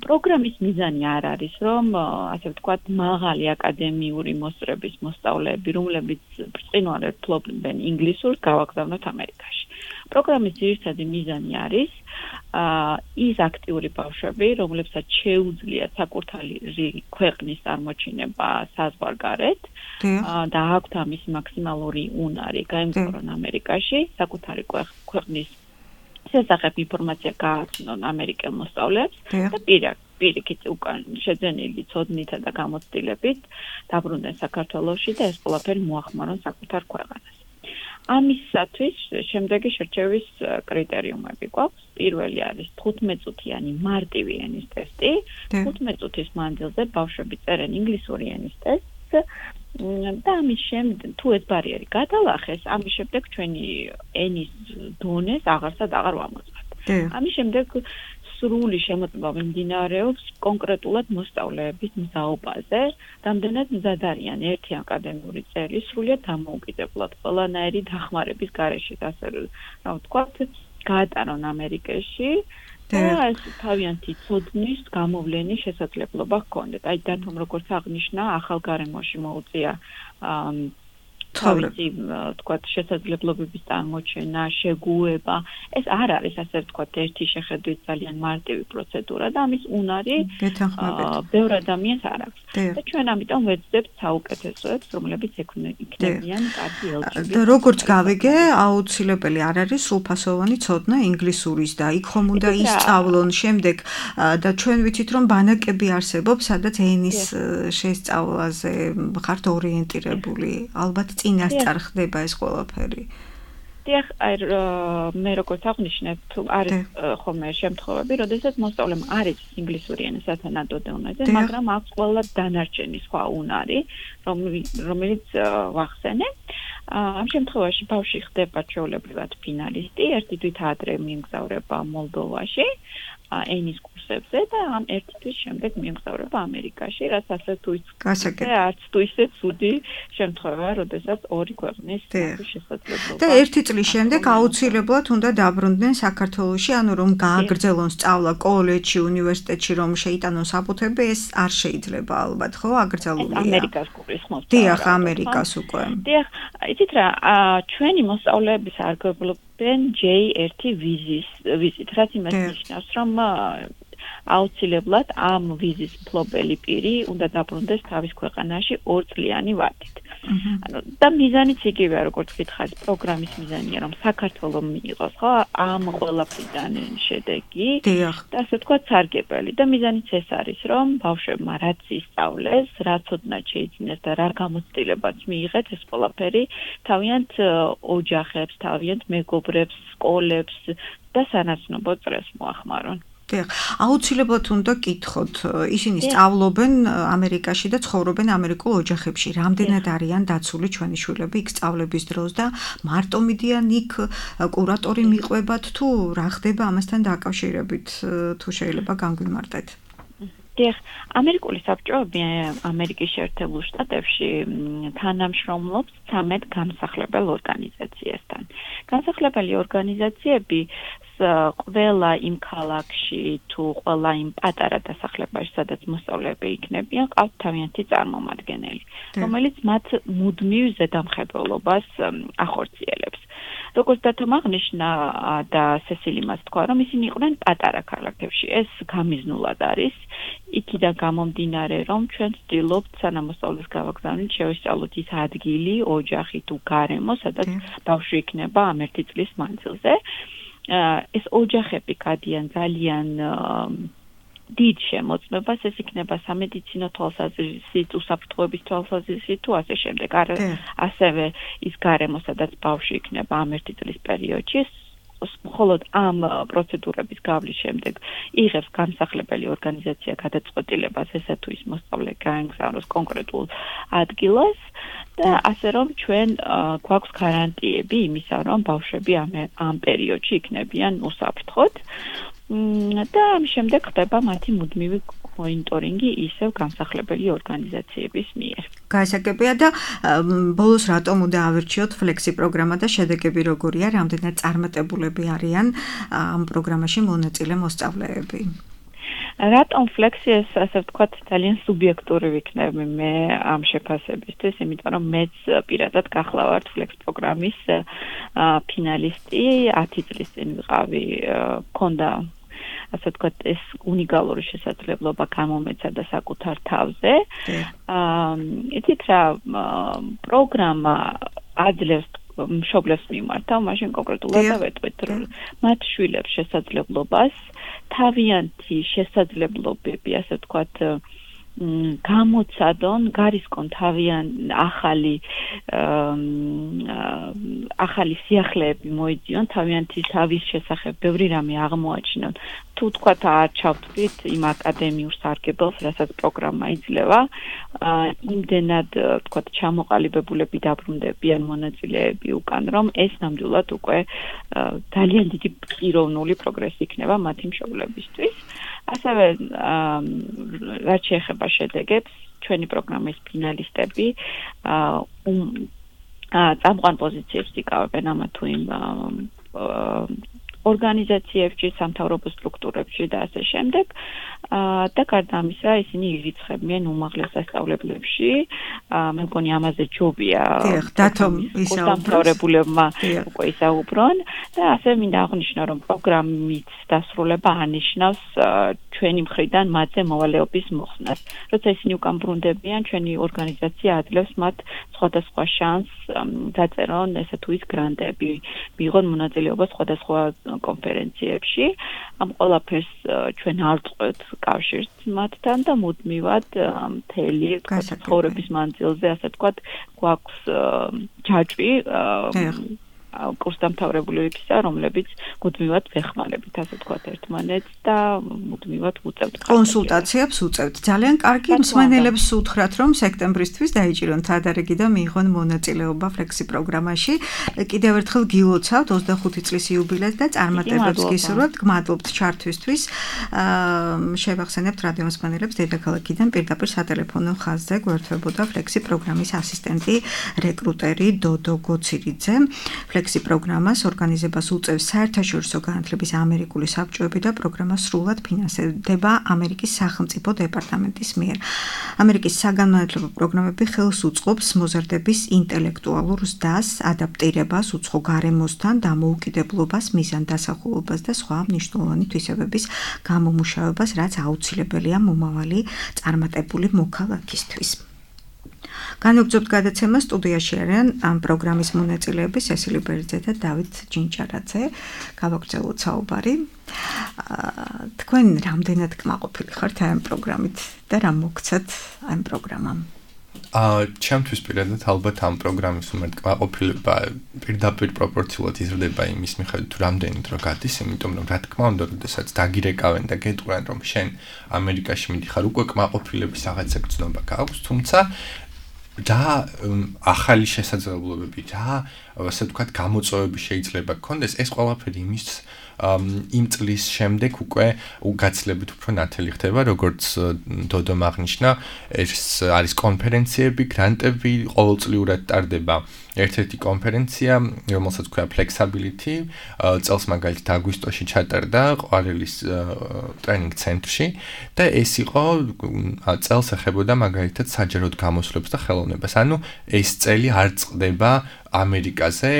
პროგრამის მიზანი არ არის, რომ ასე ვთქვათ, მაღალი აკადემიური მოსწრების მოსწავლეები, რომლებიც ბრწყინვალედ ფლობენ ინგლისურს, გავაგზავნოთ ამერიკაში. პროგრამის ძირითადი მიზანი არის ის აქტიური ბავშვები, რომლებსაც შეუძლიათ საკუთარი ქვეყნის წარმოჩინება საზღვარგარეთ და აქვთ ამის მაქსიმალური უნარი გაემგზავრონ ამერიკაში, საკუთარი ქვეყნის შესახებ ინფორმაცია გააცნონ ამერიკელ მოსწავლეებს და პირიქით უკან შეძენილი ცოდნითა და გამოცდილებით დაბრუნდნენ საქართველოში და ეს ყველაფერი მოახმარონ საკუთარ ქვეყანას. ამისათვის შემდეგი შერჩევის კრიტერიუმები გვაქვს. პირველი არის თხუთმეტწუთიანი მარტივი ენის ტესტი. თხუთმეტ წუთის მანძილზე ბავშვები წერენ ინგლისური ენის ტესტს და ამის შემდეგ თუ ეს ბარიერი გადალახეს, ამის შემდეგ ჩვენი ენის დონეს აღარსად აღარ ვამოწმებთ. ამის შემდეგ სრული შემოწმება მიმდინარეობს კონკრეტულად მოსწავლეების მზაობაზე, რამდენად მზად არიან ერთი აკადემიური წელი სრულიად დამოუკიდებლად ყველანაირი დახმარების გარეშე, ასე რა ვთქვათ, გაატარონ ამერიკაში და ეს თავიანთი ცოდნის გამოვლენის შესაძლებლობა ჰქონდეთ. აი დათომ როგორც აღნიშნა, ახალ გარემოში მოუწია თავისი ვთქვათ შესაძლებლობების წარმოჩენა, შეგუება. ეს არ არის ასე ვთქვათ ერთი შეხედვით ძალიან მარტივი პროცედურა და ამის უნარი ბევრ ადამიანს არ აქვს. და ჩვენ ამიტომ ვეძებთ საუკეთესოებს, რომლებიც იქნებიან კარგი ელჩები. და როგორც გავიგე, აუცილებელი არ არის სრულფასოვანი ცოდნა ინგლისურის და იქ ხომ უნდა ისწავლონ შემდეგ და ჩვენ ვიცით რომ ბანაკები არსებობს, სადაც ენის შესწავლაზე ხართ ორიენტირებული. ალბათ წინასწარ ხდება ეს ყველაფერი. დიახ, აი მე როგორც აღნიშნე, თუ არის ხოლმე შემთხვევები, როდესაც მოსწავლემ არ იცის ინგლისური ენის სათანადო დონეზე, მაგრამ აქვს ყველა დანარჩენი სხვა უნარი, რომელიც ვახსენე. ამ შემთხვევაში ბავშვი ხდება ჩვეულებრივად ფინალისტი, ერთი თვით ადრე მიემგზავრება მოლდოვაში ენის კურსებზე და ამ ერთი თვის შემდეგ მიემგზავრება ამერიკაში, რაც ასე თუ ისე არც თუ ისე ცუდი შემთხვევაა, როდესაც ორი ქვეყნის შესაძლებლობა. და ერთი წლის შემდეგ აუცილებლად უნდა დაბრუნდნენ საქართველოში, ანუ რომ გააგრძელონ სწავლა კოლეჯში, უნივერსიტეტში, რომ შეიტანონ საფუთები, ეს არ შეიძლება ალბათ, ხო, აკრძალულია. ამერიკას გულისხმობს. დიახ, ამერიკას უკვე. დიახ, იცით რა, ჩვენი მოსწავლეების არგებლობ ჯეი ერთი ვიზის ვიზით, რაც იმას ნიშნავს, რომ აუცილებლად ამ ვიზის მფლობელი პირი უნდა დაბრუნდეს თავის ქვეყანაში ორწლიანი ვადით. ანუ და მიზანიც იგივეა, როგორც გითხარით, პროგრამის მიზანია, რომ საქართველოს მიიღოს, ხო, ამ ყველაფრიდან შედეგი და ასე ვთქვათ, სარგებელი და მიზანიც ეს არის, რომ ბავშვებმა რაც ისწავლეს, რაც ოდნავ შეიძინეს და რა გამოცდილებაც მიიღეთ, ეს ყველაფერი თავიანთ ოჯახებს, თავიანთ მეგობრებს, სკოლებს და სანაცნობო წრეს მოახმარონ. აუცილებლად უნდა კითხოთ, ისინი სწავლობენ ამერიკაში და ცხოვრობენ ამერიკულ ოჯახებში. რამდენად არიან დაცული ჩვენი შვილები იქ სწავლების დროს და მარტო მიდიან იქ კურატორი მიყვებათ თუ რა ხდება ამასთან დაკავშირებით, თუ შეიძლება განგვიმარტეთ? დიახ, ამერიკული საბჭოები ამერიკის შეერთებულ შტატებში თანამშრომლობს ცამეტ გამსახლებელ ორგანიზაციასთან. გამსახლებელი ორგანიზაციები ყველა იმ ქალაქში თუ ყველა იმ პატარა დასახლებაში, სადაც მოსწავლეები იქნებიან, ყავთ თავიანთი წარმომადგენელი, რომელიც მათ მუდმივ ზედამხედველობას ახორციელებს. როგორც დათომ აღნიშნა და სესილი მას თქვა, რომ ისინი იყვნენ პატარა ქალაქებში. ეს გამიზნულად არის, იქიდან გამომდინარე, რომ ჩვენ ვცდილობთ სანამ მოსწავლეს გავაგზავნით, შევისწავლოთ ის ადგილი, ოჯახი თუ გარემო, სადაც ბავშვი იქნება ამ ერთი წლის მანძილზე. ეს ოჯახები გადიან ძალიან დიდ შემოწმებას, ეს იქნება სამედიცინო თვალსაზრისით, უსაფრთხოების თვალსაზრისით თუ ასე შემდეგ. ასევე ის გარემო, სადაც ბავშვი იქნება ამ ერთი წლის პერიოდში, მხოლოდ ამ პროცედურების გავლის შემდეგ იღებს გამსახლებელი ორგანიზაცია გადაწყვეტილებას, ესა თუ ის მოსწავლე გაემგზავნოს კონკრეტულ ადგილას და ასე რომ ჩვენ გვაქვს გარანტიები იმისა, რომ ბავშვები ამ პერიოდში იქნებიან უსაფრთხოდ და ამ შემდეგ ხდება მათი მუდმივი მონიტორინგი ისევ გამსახლებელი ორგანიზაციების მიერ. გაისაკებია და ბოლოს რატომ უნდა ავირჩიოთ ფლექსი პროგრამა და შედეგები როგორია, რამდენად წარმატებულები არიან ამ პროგრამაში მონაწილე მოსწავლეები? რატომ ფლექსი ეს ასე ვთქვათ ძალიან სუბიექტური ვიქნები მე ამ შეფასებისთვის, იმიტომ რომ მეც პირადად გახლავართ ფლექს პროგრამის ფინალისტი, ათი წლის წინ ვიყავი, მქონდა ასე ვთქვათ ეს უნიკალური შესაძლებლობა გამომეცა და საკუთარ თავზე. აა იცით რა პროგრამა აძლევს მშობლებს მიმართავ, მაშინ კონკრეტულად დავეტყვით, რომ მათ შვილებს შესაძლებლობას თავიანთი შესაძლებლობები, ასე ვთქვათ, გამოცადონ, გარისკონ თავიან ახალი ახალი სიახლეები მოიძიონ, თავიანთი თავის შესახებ ბევრი რამე აღმოაჩინონ. თუ თქვათ არჩავთ იმ აკადემიურ სარგებელს, რასაც პროგრამა იძლევა, იმდენად თქვათ ჩამოყალიბებულები დაბრუნდებიან მონაწილეები უკან, რომ ეს ნამდვილად უკვე ძალიან დიდი პიროვნული პროგრესი იქნება მათი მშობლებისთვის. ასევე რაც შეეხება შედეგებს, ჩვენი პროგრამის ფინალისტები წამყვან პოზიციებს იკავებენ ამა თუ იმ ორგანიზაციებში, სამთავრობო სტრუქტურებში და ასე შემდეგ. და გარდა ამისა, ისინი ირიცხებიან უმაღლეს სასწავლებლებში. მე მგონი ამაზე ჯობია. დათომ ისაუბრებულებმა უკვე ისაუბრონ და ასე მინდა აღნიშნო, რომ პროგრამის დასრულება ანიშნავს ჩვენი მხრიდან მათზე მოვალეობის მოხსნას. როცა ისინი უკან ბრუნდებიან, ჩვენი ორგანიზაცია აძლევს მათ სხვადასხვა შანსს დაწერონ ესე თუ ის გრანტები, მიიღონ მონაწილეობა სხვადასხვა კონფერენციებში. ამ ყველაფერს ჩვენ არ წყვეთ კავშირს მათთან და მუდმივად მთელი ცხოვრების მანძილზე, ასე ვთქვათ, გვაქვს ჯაჭვი კურსდამთავრებულებისა, რომლებიც მუდმივად ვეხმარებით, ასე ვთქვათ, ერთმანეთს და მუდმივად უწევთ კონსულტაციებს უწევთ. ძალიან კარგი, მსმენელებს უთხრათ, რომ სექტემბრისთვის დაიჭირონ თადარიგი და მიიღონ მონაწილეობა ფლექსი პროგრამაში. კიდევ ერთხელ გილოცავთ ოცდახუთი წლის იუბილეს და წარმატებებს გისურვებთ. გმადლობთ ჩართვისთვის. შევახსენებთ რადიო მსმენელებს დედაქალაქიდან პირდაპირ სატელეფონო ხაზზე გვერდებოდა ფლექსი პროგრამის ასისტენტი, რეკრუტერი დოდო გოცირიძე. Flexi პროგრამას ორგანიზებას უწევს საერთაშორისო განათლების ამერიკული საბჭოები და პროგრამა სრულად ფინანსდება ამერიკის სახელმწიფო დეპარტამენტის მიერ. ამერიკის საგანმანათლებლო პროგრამები ხელს უწყობს მოზარდების ინტელექტუალურ ზრდას, ადაპტირებას, უცხო გარემოსთან, დამოუკიდებლობას, მიზანდასახულობას და სხვა მნიშვნელოვანი თვისებების გამომუშავებას, რაც აუცილებელია მომავალი წარმატებული მოქალაქისთვის. განვაგრძობთ გადაცემა სტუდიაში არიან ამ პროგრამის მონაწილეები სესილი ბერძე და დავით ჯინჭარაძე. გავაგრძელოთ საუბარი. თქვენ რამდენად კმაყოფილი ხართ ამ პროგრამით და რა მოგცათ ამ პროგრამამ? აა ჩემთვის პირადად ალბათ ამ პროგრამის უმეტ კმაყოფილება პირდაპირ პროპორციულად იზრდება იმის მიხედვით თუ რამდენი დრო გადის, იმიტომ რომ რა თქმა უნდა, როდესაც დაგირეკავენ და გეტყვიან რომ შენ ამერიკაში მიდიხარ, უკვე კმაყოფილების რაღაცა გრძნობა გაქვს, თუმცა და ახალი შესაძლებლობები და ასე ვთქვათ გამოწვევები შეიძლება გქონდეს, ეს ყველაფერი იმის იმ წლის შემდეგ უკვე გაცილებით უფრო ნათელი ხდება, როგორც დოდომ აღნიშნა, ეს არის კონფერენციები, გრანტები, ყოველწლიურად ტარდება ერთ-ერთი კონფერენცია, რომელსაც ქვია Flexibility, წელს მაგალითად აგვისტოში ჩატარდა ყვარელის ტრენინგ ცენტრში და ეს იყო წელს ეხებოდა მაგალითად საჯაროდ გამოსვლებს და ხელოვნებას. ანუ ეს წელი არ წყდება ამერიკაზე,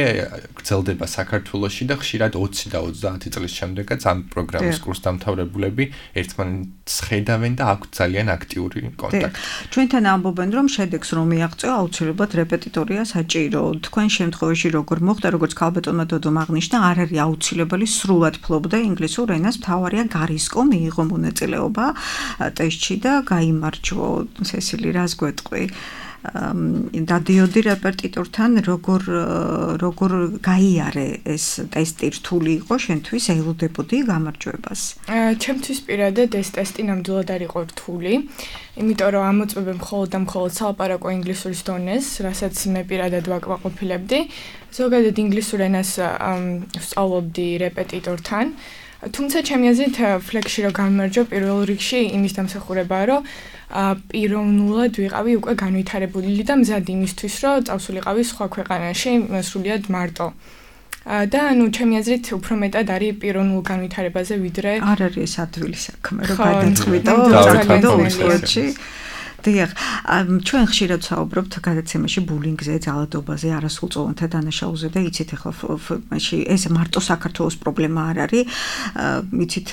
გრძელდება საქართველოში და ხშირად ოცი და ოცდაათი წლის შემდეგაც ამ პროგრამის კურსდამთავრებულები ერთმანეთს ხედავენ და აქვთ ძალიან აქტიური კონტაქტი. ჩვენთან ამბობენ, რომ შედეგს რომ მიაღწევა, აუცილებლად რეპეტიტორია საჭირო. თქვენ შემთხვევაში როგორ მოხდა, როგორც ქალბატონმა დოდომ აღნიშნა, არ არის აუცილებელი სრულად ფლობდა ინგლისურ ენას, მთავარია გარისკო მიიღო მონაწილეობა ტესტში და გაიმარჯვო. სესილი, რას გვეტყვი? დადიოდი რეპეტიტორთან როგორ როგორ გაიარე ეს ტესტი, რთული იყო შენთვის, ელოდებოდი გამარჯვებას? ჩემთვის პირადად ეს ტესტი ნამდვილად არ იყო რთული, იმიტომ რომ ამოწმებენ მხოლოდ და მხოლოდ სალაპარაკო ინგლისურის დონეს, რასაც მე პირადად ვაკმაყოფილებდი. ზოგადად ინგლისურ ენას ვსწავლობდი რეპეტიტორთან. თუმცა ჩემი აზრით Flexi რო გამარჯვა პირველ რიგში იმის დამსახურებაა, რომ პიროვნულად ვიყავი უკვე განვითარებული და მზად იმისთვის, რომ წავსულიყავი სხვა ქვეყანაში სრულიად მარტო. და ანუ ჩემი აზრით უფრო მეტად არის პიროვნულ განვითარებაზე ვიდრე არ არის ეს ადვილი საქმე, რომ გადაწყვიტო ძალიან დიახ, ჩვენ ხშირად ვსაუბრობთ გადაცემაში ბულინგზე, ძალადობაზე, არასრულწლოვანთა დანაშაულზე და იცით ახლა მაშინ ეს მარტო საქართველოს პრობლემა არ არის. იცით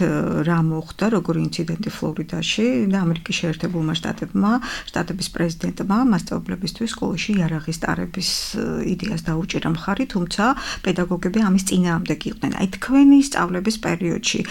რა მოხდა, როგორი ინციდენტი ფლორიდაში და ამერიკის შეერთებულმა შტატებმა, შტატების პრეზიდენტმა მასწავლებლებისთვის სკოლაში იარაღის ტარების იდეას დაუჭირა მხარი, თუმცა პედაგოგები ამის წინააღმდეგ იყვნენ. აი თქვენი სწავლების პერიოდში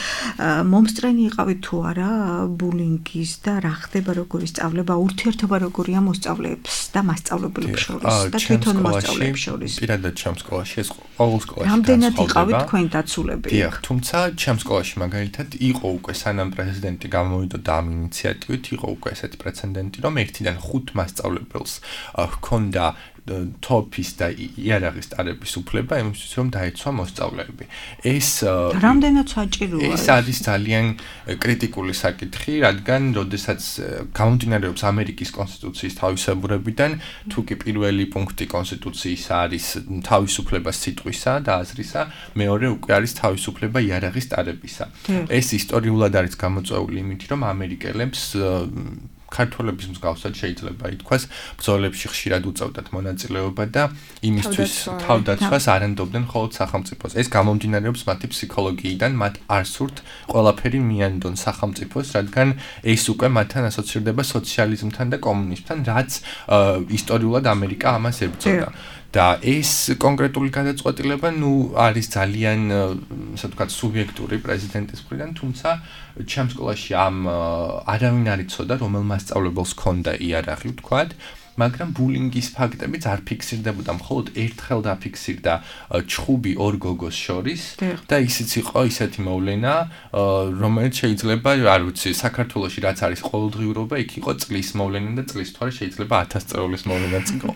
მომსწრენი იყავით თუ არა ბულინგის და რა ხდება როგორი სწავლება, ურთიერთობა როგორია მოსწავლეებს და მასწავლებლებს შორის და თვითონ მოსწავლეებს შორის? პირადად ჩემ სკოლაში ეს ყოველ სკოლაში რამდენად იყავით თქვენ დაცულები? დიახ, თუმცა ჩემ სკოლაში მაგალითად იყო უკვე სანამ პრეზიდენტი გამოვიდოდა ამ ინიციატივით, იყო უკვე ესეთი პრეცედენტი, რომ ერთიდან ხუთ მასწავლებელს ჰქონდა თოფის და იარაღის ტარების უფლება იმისთვის რომ დაეცვა მოსწავლეები. ეს რამდენად საჭიროა? ეს არის ძალიან კრიტიკული საკითხი, რადგან როდესაც გამომდინარეობს ამერიკის კონსტიტუციის თავისებურებიდან, თუ კი პირველი პუნქტი კონსტიტუციის არის თავისუფლება სიტყვისა და აზრისა, მეორე უკვე არის თავისუფლება იარაღის ტარებისა. ეს ისტორიულად არის გამოწვეული იმით, რომ ამერიკელებს ქართველების მსგავსად შეიძლება ითქვას, ბრძოლებში ხშირად უწევდათ მონაწილეობა და იმისთვის თავდაცვას არანდობდნენ მხოლოდ სახელმწიფოს. ეს გამომდინარეობს მათი ფსიქოლოგიიდან, მათ არ სურთ ყველაფერი მიანდონ სახელმწიფოს, რადგან ეს უკვე მათთან ასოცირდება სოციალიზმთან და კომუნიზმთან, რაც ისტორიულად ამერიკა ამას ებრძოდა. და ეს კონკრეტული გადაწყვეტილება ნუ არის ძალიან, ასე ვთქვათ, სუბიექტური პრეზიდენტის მხრიდან, თუმცა ჩემ სკოლაში ამ არავინ არ იცოდა, რომელ მასწავლებელს ჰქონდა იარაღი, ვთქვათ, მაგრამ ბულინგის ფაქტებიც არ ფიქსირდებოდა, მხოლოდ ერთხელ დაფიქსირდა ჩხუბი ორ გოგოს შორის და ისიც იყო ისეთი მოვლენა, რომელიც შეიძლება, არ ვიცი, საქართველოში რაც არის ყოველდღიურობა, იქ იყო წლის მოვლენა და წლის თვარე შეიძლება ათას წეულის მოვლენაც იყო.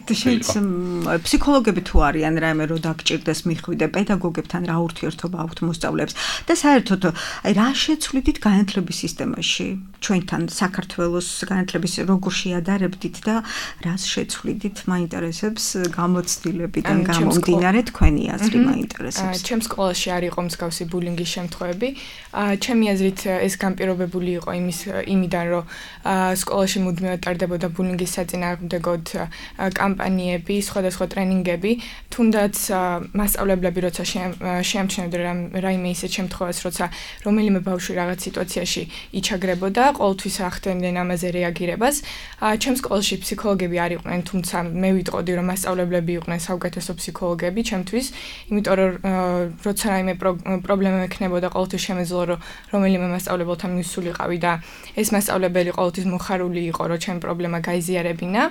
ფსიქოლოგები თუ არიან რაიმე რო დაგჭირდეს მიხვიდე პედაგოგებთან რა ურთიერთობა აქვთ მოსწავლეებს და საერთოდ აი რა შეცვლით განათლების სისტემაში ჩვენთან საქართველოს განათლების როგორ შეადარებდით და რა რას შეცვლიდით მაინტერესებს გამოცდილებიდან გამომდინარე თქვენი აზრი მაინტერესებს. ჩემს სკოლაში არ იყო მსგავსი ბულინგის შემთხვევები. ჩემი აზრით ეს განპირობებული იყო იმის იმიდან, რომ სკოლაში მუდმივად ტარდებოდა ბულინგის საწინააღმდეგოდ კამპანიები, სხვადასხვა ტრენინგები, თუნდაც მასწავლებლები როცა შეამჩნევდნენ რაიმე ისეთ შემთხვევას, როცა რომელიმე ბავშვი რაღაც სიტუაციაში იჩაგრებოდა, ყოველთვის ახდენდნენ ამაზე რეაგირებას. ჩემს სკოლაში ფსიქოლოგები არ იყვნენ, თუმცა მე ვიტყოდი, რომ მასწავლებლები იყვნენ საუკეთესო ფსიქოლოგები ჩემთვის, იმიტომ რომ როცა რაიმე პრობლემა ექნებოდა, ყოველთვის შემეძლო რომ რომელიმე მასწავლებელთან მისულიყავი და ეს მასწავლებელი ყოველთვის მოხარული იყო, რომ ჩემი პრობლემა გაიზიარებინა.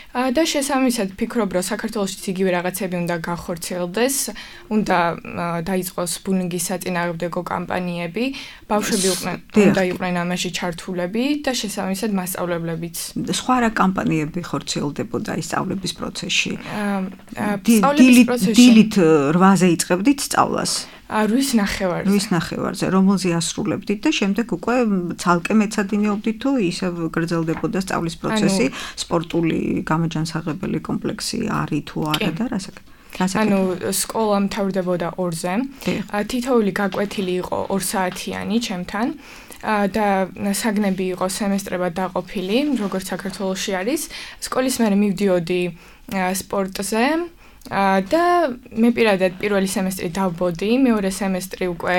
და შესაბამისად ფიქრობ, რომ საქართველოშიც იგივე რაღაცები უნდა განხორციელდეს, უნდა დაიწყოს ბულინგის საწინააღმდეგო კამპანიები, ბავშვები უნდა იყვნენ ამაში ჩართულები და შესაბამისად მასწავლებლებიც. სხვა რა კამპანიები ხორციელდებოდა ის სწავლების პროცესში? სწავლების პროცესში დილით რვაზე იწყებდით სწავლას? რვის ნახევარზე. რვის ნახევარზე, რომელზე ასრულებდით და შემდეგ უკვე ცალკე მეცადინეობდით თუ ისევ გრძელდებოდა სწავლის პროცესი, სპორტული გამაჯანსაღებელი კომპლექსი არის თუ არა და რასაკ? ანუ სკოლა მთავრდებოდა ორზე. თითოეული გაკვეთილი იყო ორ საათიანი ჩემთან. და საგნები იყო სემესტრებად დაყოფილი, როგორც საქართველოში არის. სკოლის მერე მივდიოდი სპორტზე. და მე პირადად პირველი სემესტრი დავბოდი, მეორე სემესტრი უკვე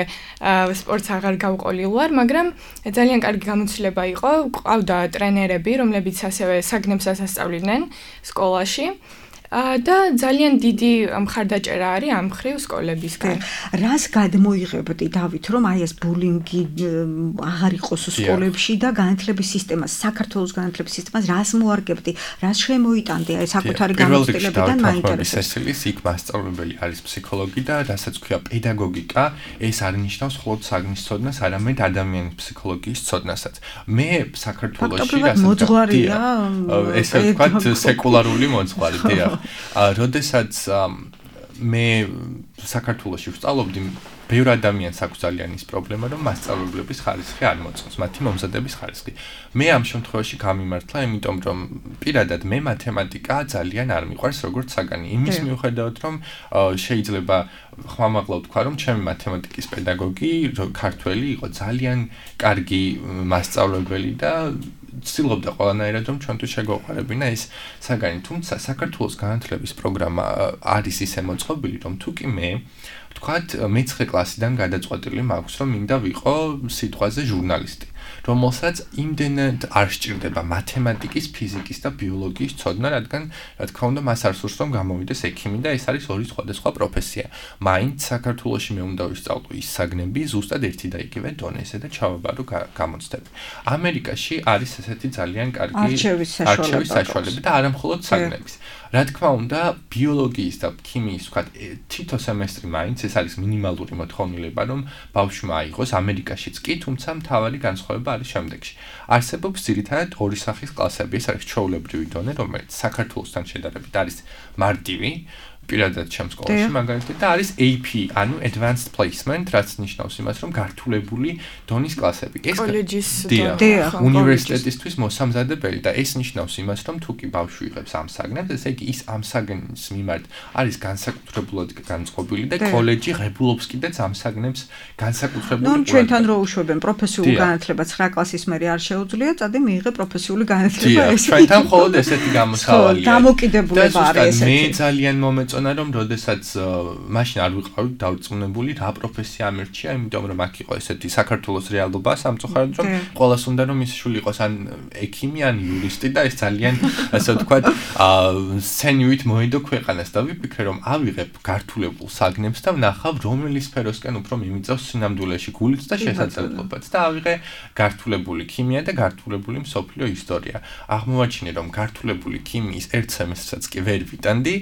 სპორტს აღარ გავყოლილ ვარ, მაგრამ ძალიან კარგი გამოცდილება იყო, ყავდა ტრენერები, რომლებიც ასევე საგნებს ასწავლიდნენ სკოლაში. და ძალიან დიდი მხარდაჭერა არის ამ მხრივ სკოლებისგან. რას გადმოიღებდი დავით, რომ აი ეს ბულინგი აღარ იყოს სკოლებში და განათლების სისტემას, საქართველოს განათლების სისტემას რას მოარგებდი, რას შემოიტანდი აი საკუთარი გამოცდილებიდან მაინტერესებს. სესილის იქ მასწავლებელი არის ფსიქოლოგი და რასაც ქვია პედაგოგიკა, ეს არ ნიშნავს მხოლოდ საგნის ცოდნას, არამედ ადამიანის ფსიქოლოგიის ცოდნასაც. მე საქართველოში რასაც მოძღვარია, ესე ვთქვათ, სეკულარული მოძღვარი, დიახ. როდესაც მე საქართველოში ვსწავლობდი, ბევრ ადამიანს აქვს ძალიან ის პრობლემა, რომ მასწავლებლების ხარისხი არ მოწონს, მათი მომზადების ხარისხი. მე ამ შემთხვევაში გამიმართლა, იმიტომ რომ პირადად მე მათემატიკა ძალიან არ მიყვარს როგორც საგანი. იმის მიუხედავად, რომ შეიძლება ხმამაღლა ვთქვა, რომ ჩემი მათემატიკის პედაგოგი ქართველი იყო ძალიან კარგი მასწავლებელი და ცდილობდა ყველანაირად რომ ჩვენთვის შეგვეყარებინა ეს საგანი, თუმცა საქართველოს განათლების პროგრამა არის ისე მოწყობილი, რომ თუ კი მე ვთქვათ მეცხრე კლასიდან გადაწყვეტილი მაქვს, რომ მინდა ვიყო სიტყვაზე ჟურნალისტი, რომელსაც იმდენად არ სჭირდება მათემატიკის, ფიზიკის და ბიოლოგიის ცოდნა, რადგან რა თქმა უნდა მას არ სურს რომ გამოვიდეს ექიმი და ეს არის ორი სხვადასხვა პროფესია. მაინც საქართველოში მე უნდა ვისწავლო ის საგნები ზუსტად ერთი და იგივე დონეზე და ჩავაბარო გამოცდები. ამერიკაში არის ესეთი ძალიან კარგი არჩევის საშუალება და არა მხოლოდ საგნების. რა თქმა უნდა, ბიოლოგიის და ქიმიის ვთქვათ თითო სემესტრი მაინც ეს არის მინიმალური მოთხოვნილება, რომ ბავშვმა აიღოს ამერიკაშიც კი, თუმცა მთავარი განსხვავება არის შემდეგში. არსებობს ძირითადად ორი სახის კლასები, ეს არის ჩვეულებრივი დონე, რომელიც საქართველოსთან შედარებით არის მარტივი, პირადად ჩემს სკოლაში მაგალითად და არის A P, ანუ Advanced Placement, რაც ნიშნავს იმას, რომ გართულებული დონის კლასები. ეს კოლეჯის დონე, უნივერსიტეტისთვის მოსამზადებელი და ეს ნიშნავს იმას, რომ თუ კი ბავშვი იღებს ამ საგნებს, ესე იგი ის ამ საგნის მიმართ არის განსაკუთრებულად განწყობილი და კოლეჯი ღებულობს კიდეც ამ საგნებს განსაკუთრებული. ნუ ჩვენთან რო უშვებენ პროფესიული განათლება ცხრა კლასის მერე არ შეუძლია, წადი მიიღე პროფესიული განათლება ეს. ჩვენთან მხოლოდ ესეთი გამოსავალია. დამოკიდებულება არის ესეთი. მე ძალიან მომეწონა რომ როდესაც მაშინ არ ვიყავი დავწუნებული რა პროფესია ამერჩია, იმიტომ რომ აქ იყო ესეთი საქართველოს რეალობა სამწუხაროდ რომ ყველას უნდა რომ ის შვილი იყოს ან ექიმი ან იურისტი და ეს ძალიან ასე ვთქვათ სენივით მოედო ქვეყანას და ვიფიქრე რომ ავიღებ გართულებულ საგნებს და ვნახავ რომელი სფეროსკენ უფრო მიმიწევს სინამდვილეში გულიც და შესაძლებლობაც და ავიღე გართულებული ქიმია და გართულებული მსოფლიო ისტორია. აღმოვაჩინე რომ გართულებული ქიმიის ერთ სემესტრსაც კი ვერ ვიტანდი,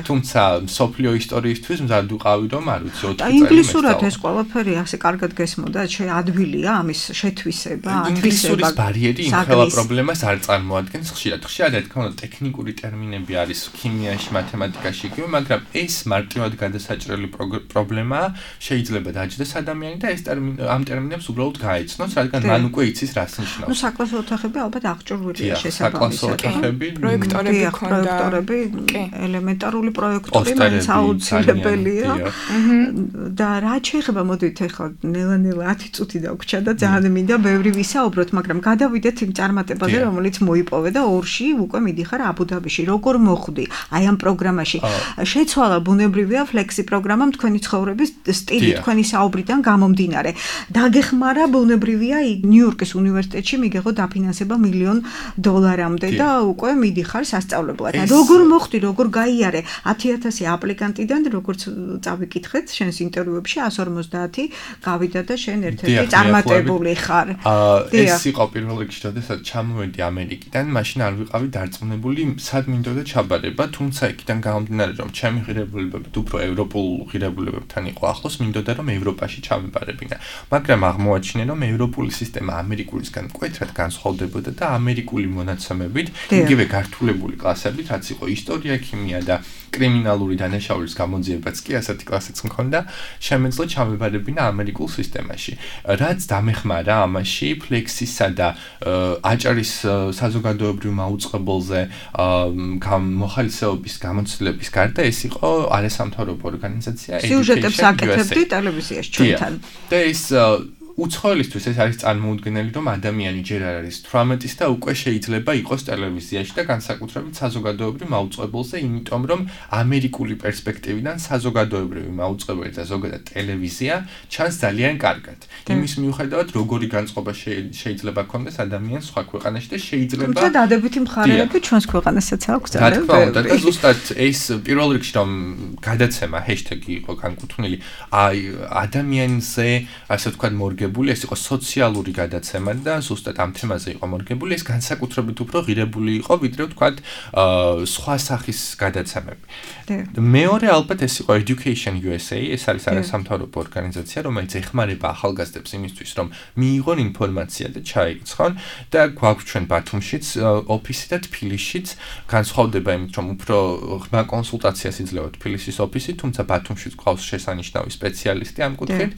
თუმცა სოფლიო ისტორიისთვის მზად ვიყავი რომ არ ვიცი ოთხი წელი. ინგლისურად ეს ყველაფერი ასე კარგად გესმოდა, შეადვილია ამის შეთვისება, ათვისება. ინგლისურის ბარიერი იმ ყველა პრობლემას არ წარმოადგენს ხშირად. ხშირად რა თქმა უნდა ტექნიკური ტერმინები არის ქიმიაში, მათემატიკაში იგივე, მაგრამ ეს მარტივად გადასაჭრელი პრობლემაა, შეიძლება დაჯდეს ადამიანი და ეს ტერმინი ამ ტერმინებს უბრალოდ გაეცნოს, რადგან მან უკვე იცის რას ნიშნავს. ნუ საკლასო ოთახები ალბათ აღჭურვილია შესაბამისად. საკლასო ოთახები, პროექტორები ქონდა, პროექტორები, ელემენტარული პროექტორი მაინც აუცილებელია. და რა შეიძლება მოდით ახლა ნელა-ნელა ათი წუთი დაგვრჩა და ძალიან მინდა ბევრი ვისაუბროთ, მაგრამ გადავიდეთ იმ წარმატებაზე, რომელიც მოიპოვე და ორში უკვე მიდიხარ აბუ-დაბიში. როგორ მოხვდი აი ამ პროგრამაში? შეცვალა ბუნებრივია ფლექსი პროგრამამ თქვენი ცხოვრების სტილი, თქვენი საუბრიდან გამომდინარე. დაგეხმარა ბუნებრივია ნიუ-იორკის უნივერსიტეტში მიგეღო დაფინანსება მილიონ დოლარამდე და უკვე მიდიხარ სასწავლებლად. როგორ მოხვდი, როგორ გაიარე ათი ათასი აპლიკანტიდან, როგორც წავიკითხეთ შენს ინტერვიუებში εκατს ორმოცდაათი გავიდა და შენ ერთ-ერთი წარმატებული ხარ. ეს იყო პირველ რიგში, როდესაც ჩამოვედი ამერიკიდან, მაშინ არ ვიყავი დარწმუნებული, სად მინდოდა ჩაბარება, თუმცა იქიდან გამომდინარე, რომ ჩემი ღირებულებები უფრო ევროპულ ღირებულებებთან იყო ახლოს, მინდოდა რომ ევროპაში ჩამებარებინა. მაგრამ აღმოაჩინე, რომ ევროპული სისტემა ამერიკულისგან მკვეთრად განსხვავდებოდა და ამერიკული მონაცემებით, იგივე გართულებული კლასებით, რაც იყო ისტორია, ქიმია და კრიმინალური დანაშაულის გამოძიებაც კი ასეთი კლასიც მქონდა, შემეძლო ჩამებარებინა ამერიკულ სისტემაში. რაც დამეხმარა ამაში ფლექსისა და აჭარის საზოგადოებრივ მაუწყებელზე მოხალისეობის გამოცდილების გარდა ეს იყო არასამთავრობო ორგანიზაცია სიუჟეტებს აკეთებდი ტელევიზიაში ჩვენთან. და ეს უცხოელისთვის ეს არის წარმოუდგენელი, რომ ადამიანი ჯერ არ არის თვრამეტის და უკვე შეიძლება იყოს ტელევიზიაში და განსაკუთრებით საზოგადოებრივ მაუწყებელზე, იმიტომ რომ ამერიკული პერსპექტივიდან საზოგადოებრივი მაუწყებელი და ზოგადად ტელევიზია ჩანს ძალიან კარგად. იმის მიუხედავად, როგორი განწყობა შეიძლება ქონდეს ადამიანს სხვა ქვეყანაში და შეიძლება თუმცა დადებითი მხარეები ჩვენს ქვეყანასაც აქვს ძალიან ბევრი. და ზუსტად ეს პირველ რიგში რომ გადაცემა ჰეშტეგი იყო განკუთვნილი, აი ადამიანზე ასე ვთქვათ მორგებული ეს იყო სოციალური გადაცემა და ზუსტად ამ თემაზე იყო მორგებული, ეს განსაკუთრებით უფრო ღირებული იყო, ვიდრე ვთქვათ სხვა სახის გადაცემები. მეორე ალბათ ეს იყო Education U S A, ეს არის არასამთავრობო ორგანიზაცია, რომელიც ეხმარება ახალგაზრდებს იმისთვის, რომ მიიღონ ინფორმაცია და ჩაირიცხონ და გვაქვს ჩვენ ბათუმშიც ოფისი და თბილისშიც, განსხვავდება იმით, რომ უფრო ღრმა კონსულტაციას იძლევა თბილისის ოფისი, თუმცა ბათუმშიც გვყავს შესანიშნავი სპეციალისტი ამ კუთხით.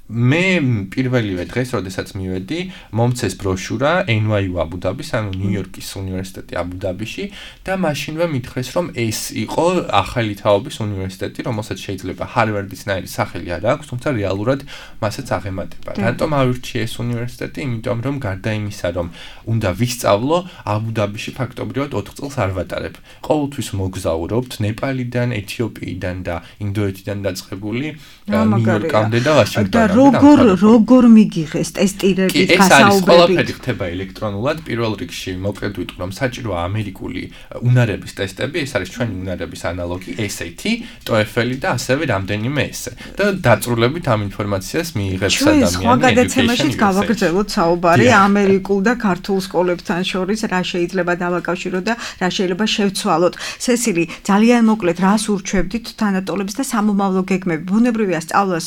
მე პირველივე დღეს, როდესაც მივედი, მომცეს ბროშურა N Y U აბუ-დაბის, ანუ ნიუ-იორკის უნივერსიტეტი აბუ-დაბიში და მაშინვე მითხრეს, რომ ეს იყო ახალი თაობის უნივერსიტეტი, რომელსაც შეიძლება ჰარვარდისნაირი სახელი არ აქვს, თუმცა რეალურად მასაც აღემატება. რატომ ავირჩიე ეს უნივერსიტეტი? იმიტომ რომ გარდა იმისა, რომ უნდა ვისწავლო, აბუ-დაბიში ფაქტობრივად ოთხ წელს არ ვატარებ. ყოველთვის მოგზაურობთ ნეპალიდან, ეთიოპიიდან და ინდოეთიდან დაწყებული ნიუ-იორკამდე და ვაშინგტონამდე. როგორ როგორ მიგიღეს ტესტირებით გასაუბრებით? ეს არის ყველაფერი ხდება ელექტრონულად. პირველ რიგში მოკლედ ვიტყვი, რომ საჭიროა ამერიკული უნარების ტესტები, ეს არის ჩვენი უნარების ანალოგი S A T, TOEFL და ასევე რამდენიმე ესე. და დაწვრილებით ამ ინფორმაციას მიიღებს ადამიანი. ჩვენ სხვა გადაცემაშიც გავაგრძელოთ საუბარი ამერიკულ და ქართულ სკოლებთან შორის, რა შეიძლება დავაკავშიროთ და რა შეიძლება შევცვალოთ. სესილი, ძალიან მოკლედ რას ურჩევდით თანატოლებს და სამომავლო გეგმები? ბუნებრივია სწავლას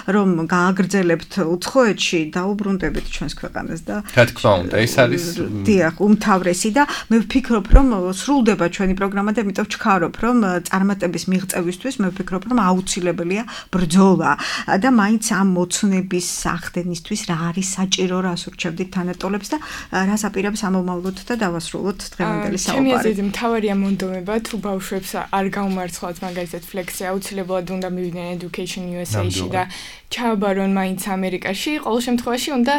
რომ გააგრძელებთ უცხოეთში, დაუბრუნდებით ჩვენს ქვეყანას და რა თქმა უნდა, ეს არის დიახ, უმთავრესი და მე ვფიქრობ, რომ სრულდება ჩვენი პროგრამა და იმიტომ ვჩქარობ, რომ წარმატების მიღწევისთვის მე ვფიქრობ, რომ აუცილებელია ბრძოლა და მაინც ამ მოცნების სახდენისთვის რა არის საჭირო, რას ურჩევდით თანატოლებს და რას აპირებს ამომავლოთ და დავასრულოთ დღევანდელი საუბარი. ჩემი აზრით მთავარია მონდომება, თუ ბავშვებს არ გაუმარცხლად მაგალითად ფლექსი აუცილებლად უნდა მივიდნენ Education U S A-ში და ჩააბარონ მაინც ამერიკაში, ყოველ შემთხვევაში უნდა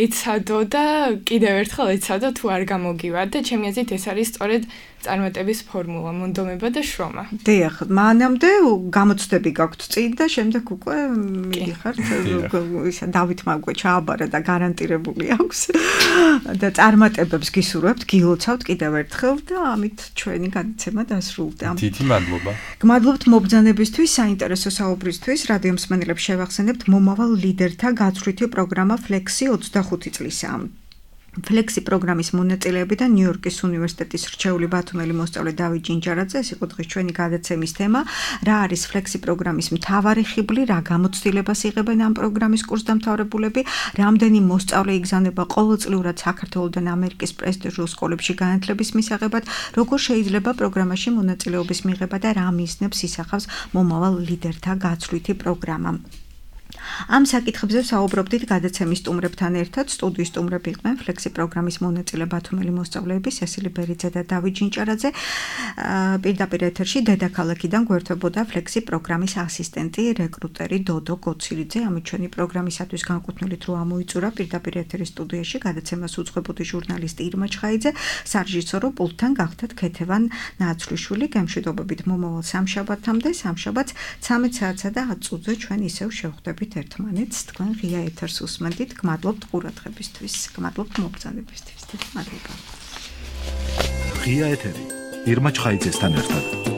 ეცადო და კიდევ ერთხელ ეცადო თუ არ გამოგივა და ჩემი აზრით ეს არის სწორედ წარმატების ფორმულა, მონდომება და შრომა. დიახ, მანამდე გამოცდები გაქვთ წინ და შემდეგ უკვე მიდიხართ ისა დავითმა უკვე ჩააბარა და გარანტირებული აქვს და წარმატებებს გისურვებთ, გილოცავთ კიდევ ერთხელ და ამით ჩვენი გადაცემა დასრულდა. დიდი მადლობა. გმადლობთ მობრძანებისთვის, საინტერესო საუბრისთვის, რადიო მსმენელებს შევახსენებთ მომავალ ლიდერთა გაცვლითი პროგრამა ფლექსი ოცდახუთი წლისა. ფლექსი პროგრამის მონაწილეები და ნიუ-იორკის უნივერსიტეტის რჩეული ბათუმელი მოსწავლე დავით ჯინჯარაძე, ეს იყო დღის ჩვენი გადაცემის თემა. რა არის ფლექსი პროგრამის მთავარი ხიბლი, რა გამოცდილებას იღებენ ამ პროგრამის კურსდამთავრებულები, რამდენი მოსწავლე იგზავნება ყოველწლიურად საქართველოდან ამერიკის პრესტიჟულ სკოლებში განათლების მისაღებად, როგორ შეიძლება პროგრამაში მონაწილეობის მიღება და რა მიზნებს ისახავს მომავალ ლიდერთა გაცვლითი პროგრამა. ამ საკითხებზე საუბრობდით გადაცემის სტუმრებთან ერთად. სტუდიის სტუმრები იყვნენ ფლექსი პროგრამის მონაწილე ბათუმელი მოსწავლეები სესილი ბერიძე და დავით ჯინჯარაძე. პირდაპირ ეთერში დედაქალაქიდან გვერდებოდა ფლექსი პროგრამის ასისტენტი, რეკრუტერი დოდო გოცილიძე. ამით ჩვენი პროგრამისათვის განკუთვნილით რო ამოიწურა პირდაპირ ეთერის სტუდიაში გადაცემას უძღვებოდი ჟურნალისტი ირმა ჩხაიძე, სარეჟისორო პულტთან გახდათ ქეთევან ნაცვლიშვილი. გემშვიდობებით მომავალ სამშაბათამდე, სამშაბათს ცამეტ საათსა და ათ წუთზე ჩვენ ისევ შევხვდებით ერთმანეთს. თქვენ ღია ეთერს უსმენთ. გმადლობთ ყურადღებისთვის, გმადლობთ მოგზაურობისთვის. მადლობა. ღია ეთერი ირმა ჩხაიძესთან ერთად.